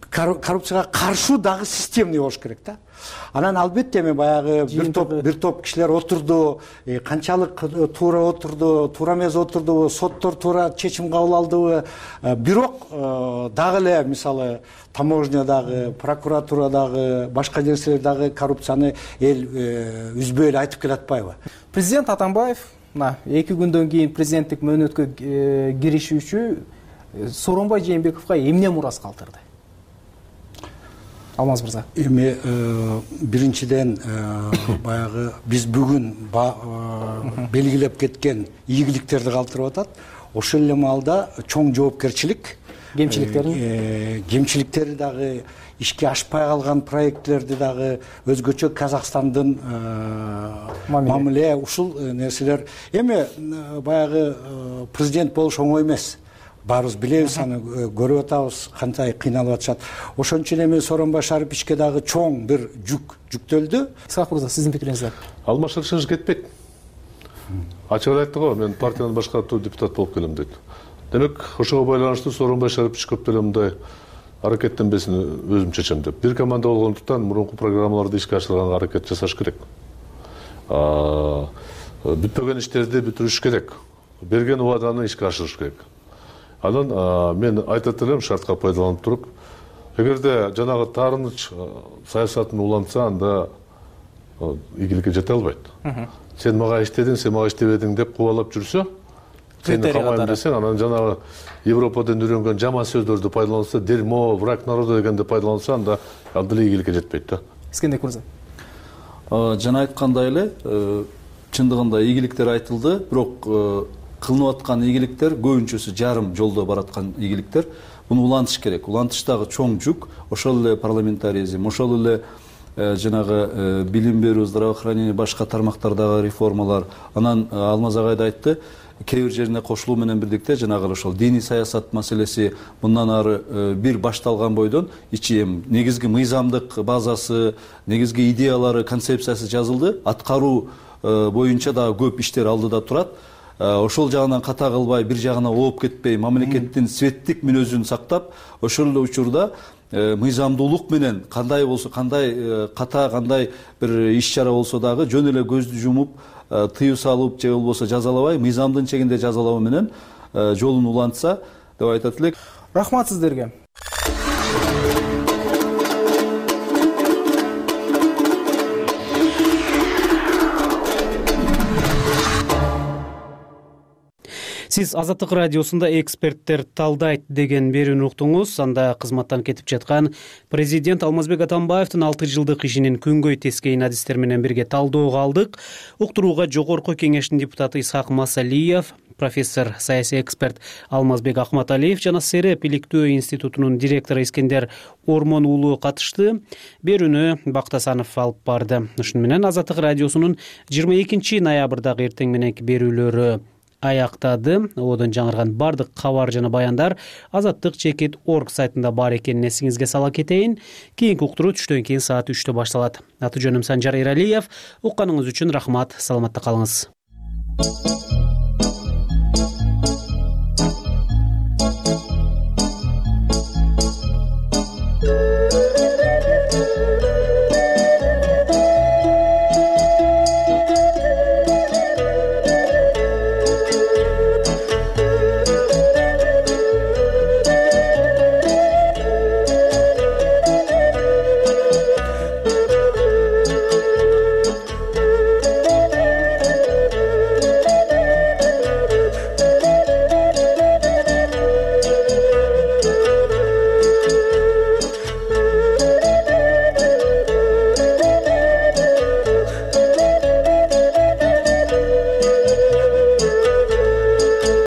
Коррупцияга каршы дагы системный болуш керек да. Анан албетте эми баягы бир топ кишилер отурду, канчалык туура отурду, туура эмес отурдубу, соттор туура чечим кабыл алдыбы. Бирок дагы эле мисалы таможнядагы, прокуратурадагы, башка нерселердагы коррупцияны эл үзбөй эле айтып келатпайбы? Президент Атамбаев мына 2 күндөн кийин президенттик мөөнөткө киришүүчү Сооронбай Жээнбековго эмне мурас калтырды? Алмаз мырза. Эми биринчиден баягы биз бүгүн белгилеп кеткен ийгиликтерди калтырып атат. Ошол эле маалда чоң жоопкерчилик, кемчиликтери дагы ишке ашпай калган проектлерди дагы өзгөчө Казакстандын мамиле ушул нерселер. Эми баягы президент болуш оңой эмес. Баарыбыз билебиз, аны көрүп атабыз, кандай кыйналып атышат. Ошон үчүн эми Сооронбай Шариповичке дагы чоң бир жүктөлдү. Исхак мырза, сиздин пикириңиз? Алмашырышыңыз кетпейт. Ачык айтты го, мен партиянын башкаруу депутат болуп келем дейт. Демек, ошого байланыштуу Сооронбай Шарипович көп эле мындай аракеттенбесин өзүм чечем деп. Бир команда болгондуктан мурунку программаларды ишке ашырганга аракет жасаш керек. Бүтпөгөн иштерди бүтүрүш керек. Берген убаданы ишке ашырыш керек. Анан мен айтат элем шартка пайдаланып туруп, эгерде жанагы таарыныч саясатын улантса, анда ийгиликке жете албайт. Сен мага иштедиң, сен мага иштебедиң деп кубалап жүрсө, сени камайм десең, анан жанагы Европадан үйрөнгөн жаман сөздөрдү пайдаланса, дерьмо, враг народа дегенди пайдаланса, анда ал деле ийгиликке жетпейт да. Искендик мырза. Жана айткандай эле, чындыгында ийгиликтер айтылды, бирок кылынып аткан ийгиликтер көбүнчөсү жарым жолдо бараткан ийгиликтер. Буну улантыш керек. Улантыштагы чоң жүк, ошол эле парламентаризм, ошол эле жанагы билим берүү, здравоохранение, башка тармактардагы реформалар. Анан Алмаз агай да айтты, кээ бир жерине кошулуу менен бирдикте жанагы ошол диний саясат маселеси мындан ары бир башталган бойдон ичи негизги мыйзамдык базасы, негизги идеялары, концепциясы жазылды. Аткаруу боюнча дагы көп иштер алдыда турат. Ошол жагынан ката кылбай, бир жагына ооп кетпей, мамлекеттин светтик мүнөзүн сактап, ошол эле учурда мыйзамдуулук менен кандай болсо, кандай ката, кандай бир иш-чара болсо дагы жөн эле көздү жумуп, тыюу салып же болбосо жазалабай, мыйзамдын чегинде жазалоо менен жолун улантса деп айтат элек. Рахмат сиздерге. Сиз Азаттык радиосунда эксперттер талдайт деген берүүнү уктуңуз. Анда кызматтан кетип жаткан президент Алмазбек Атамбаевдин 6 жылдык ишинин күнгөй тескейин адистер менен бирге талдөөгө алдык. Уктурууга Жогорку Кеңештин депутаты Исхак Масалиев, профессор, саясий эксперт Алмазбек Акматалиев жана СРЭП иликтөө институтунун директору Искендер Ормон уулу катышты. Берүүнү Бактасанов алып барды. Ушуну менен Азаттык радиосунун 22 ноябрдагы эртең мененки берүүлөрү аяктады. Одон жаңырган бардык кабар жана баяндар azattik.org сайтында бар экенин эсиңизге сала кетейин. Кийинки уктуруу түштөн кийин саат 3-тө башталат. Аты жөнүм Санжар Эралиев. Укканыңыз үчүн рахмат. Саламатта калыңыз.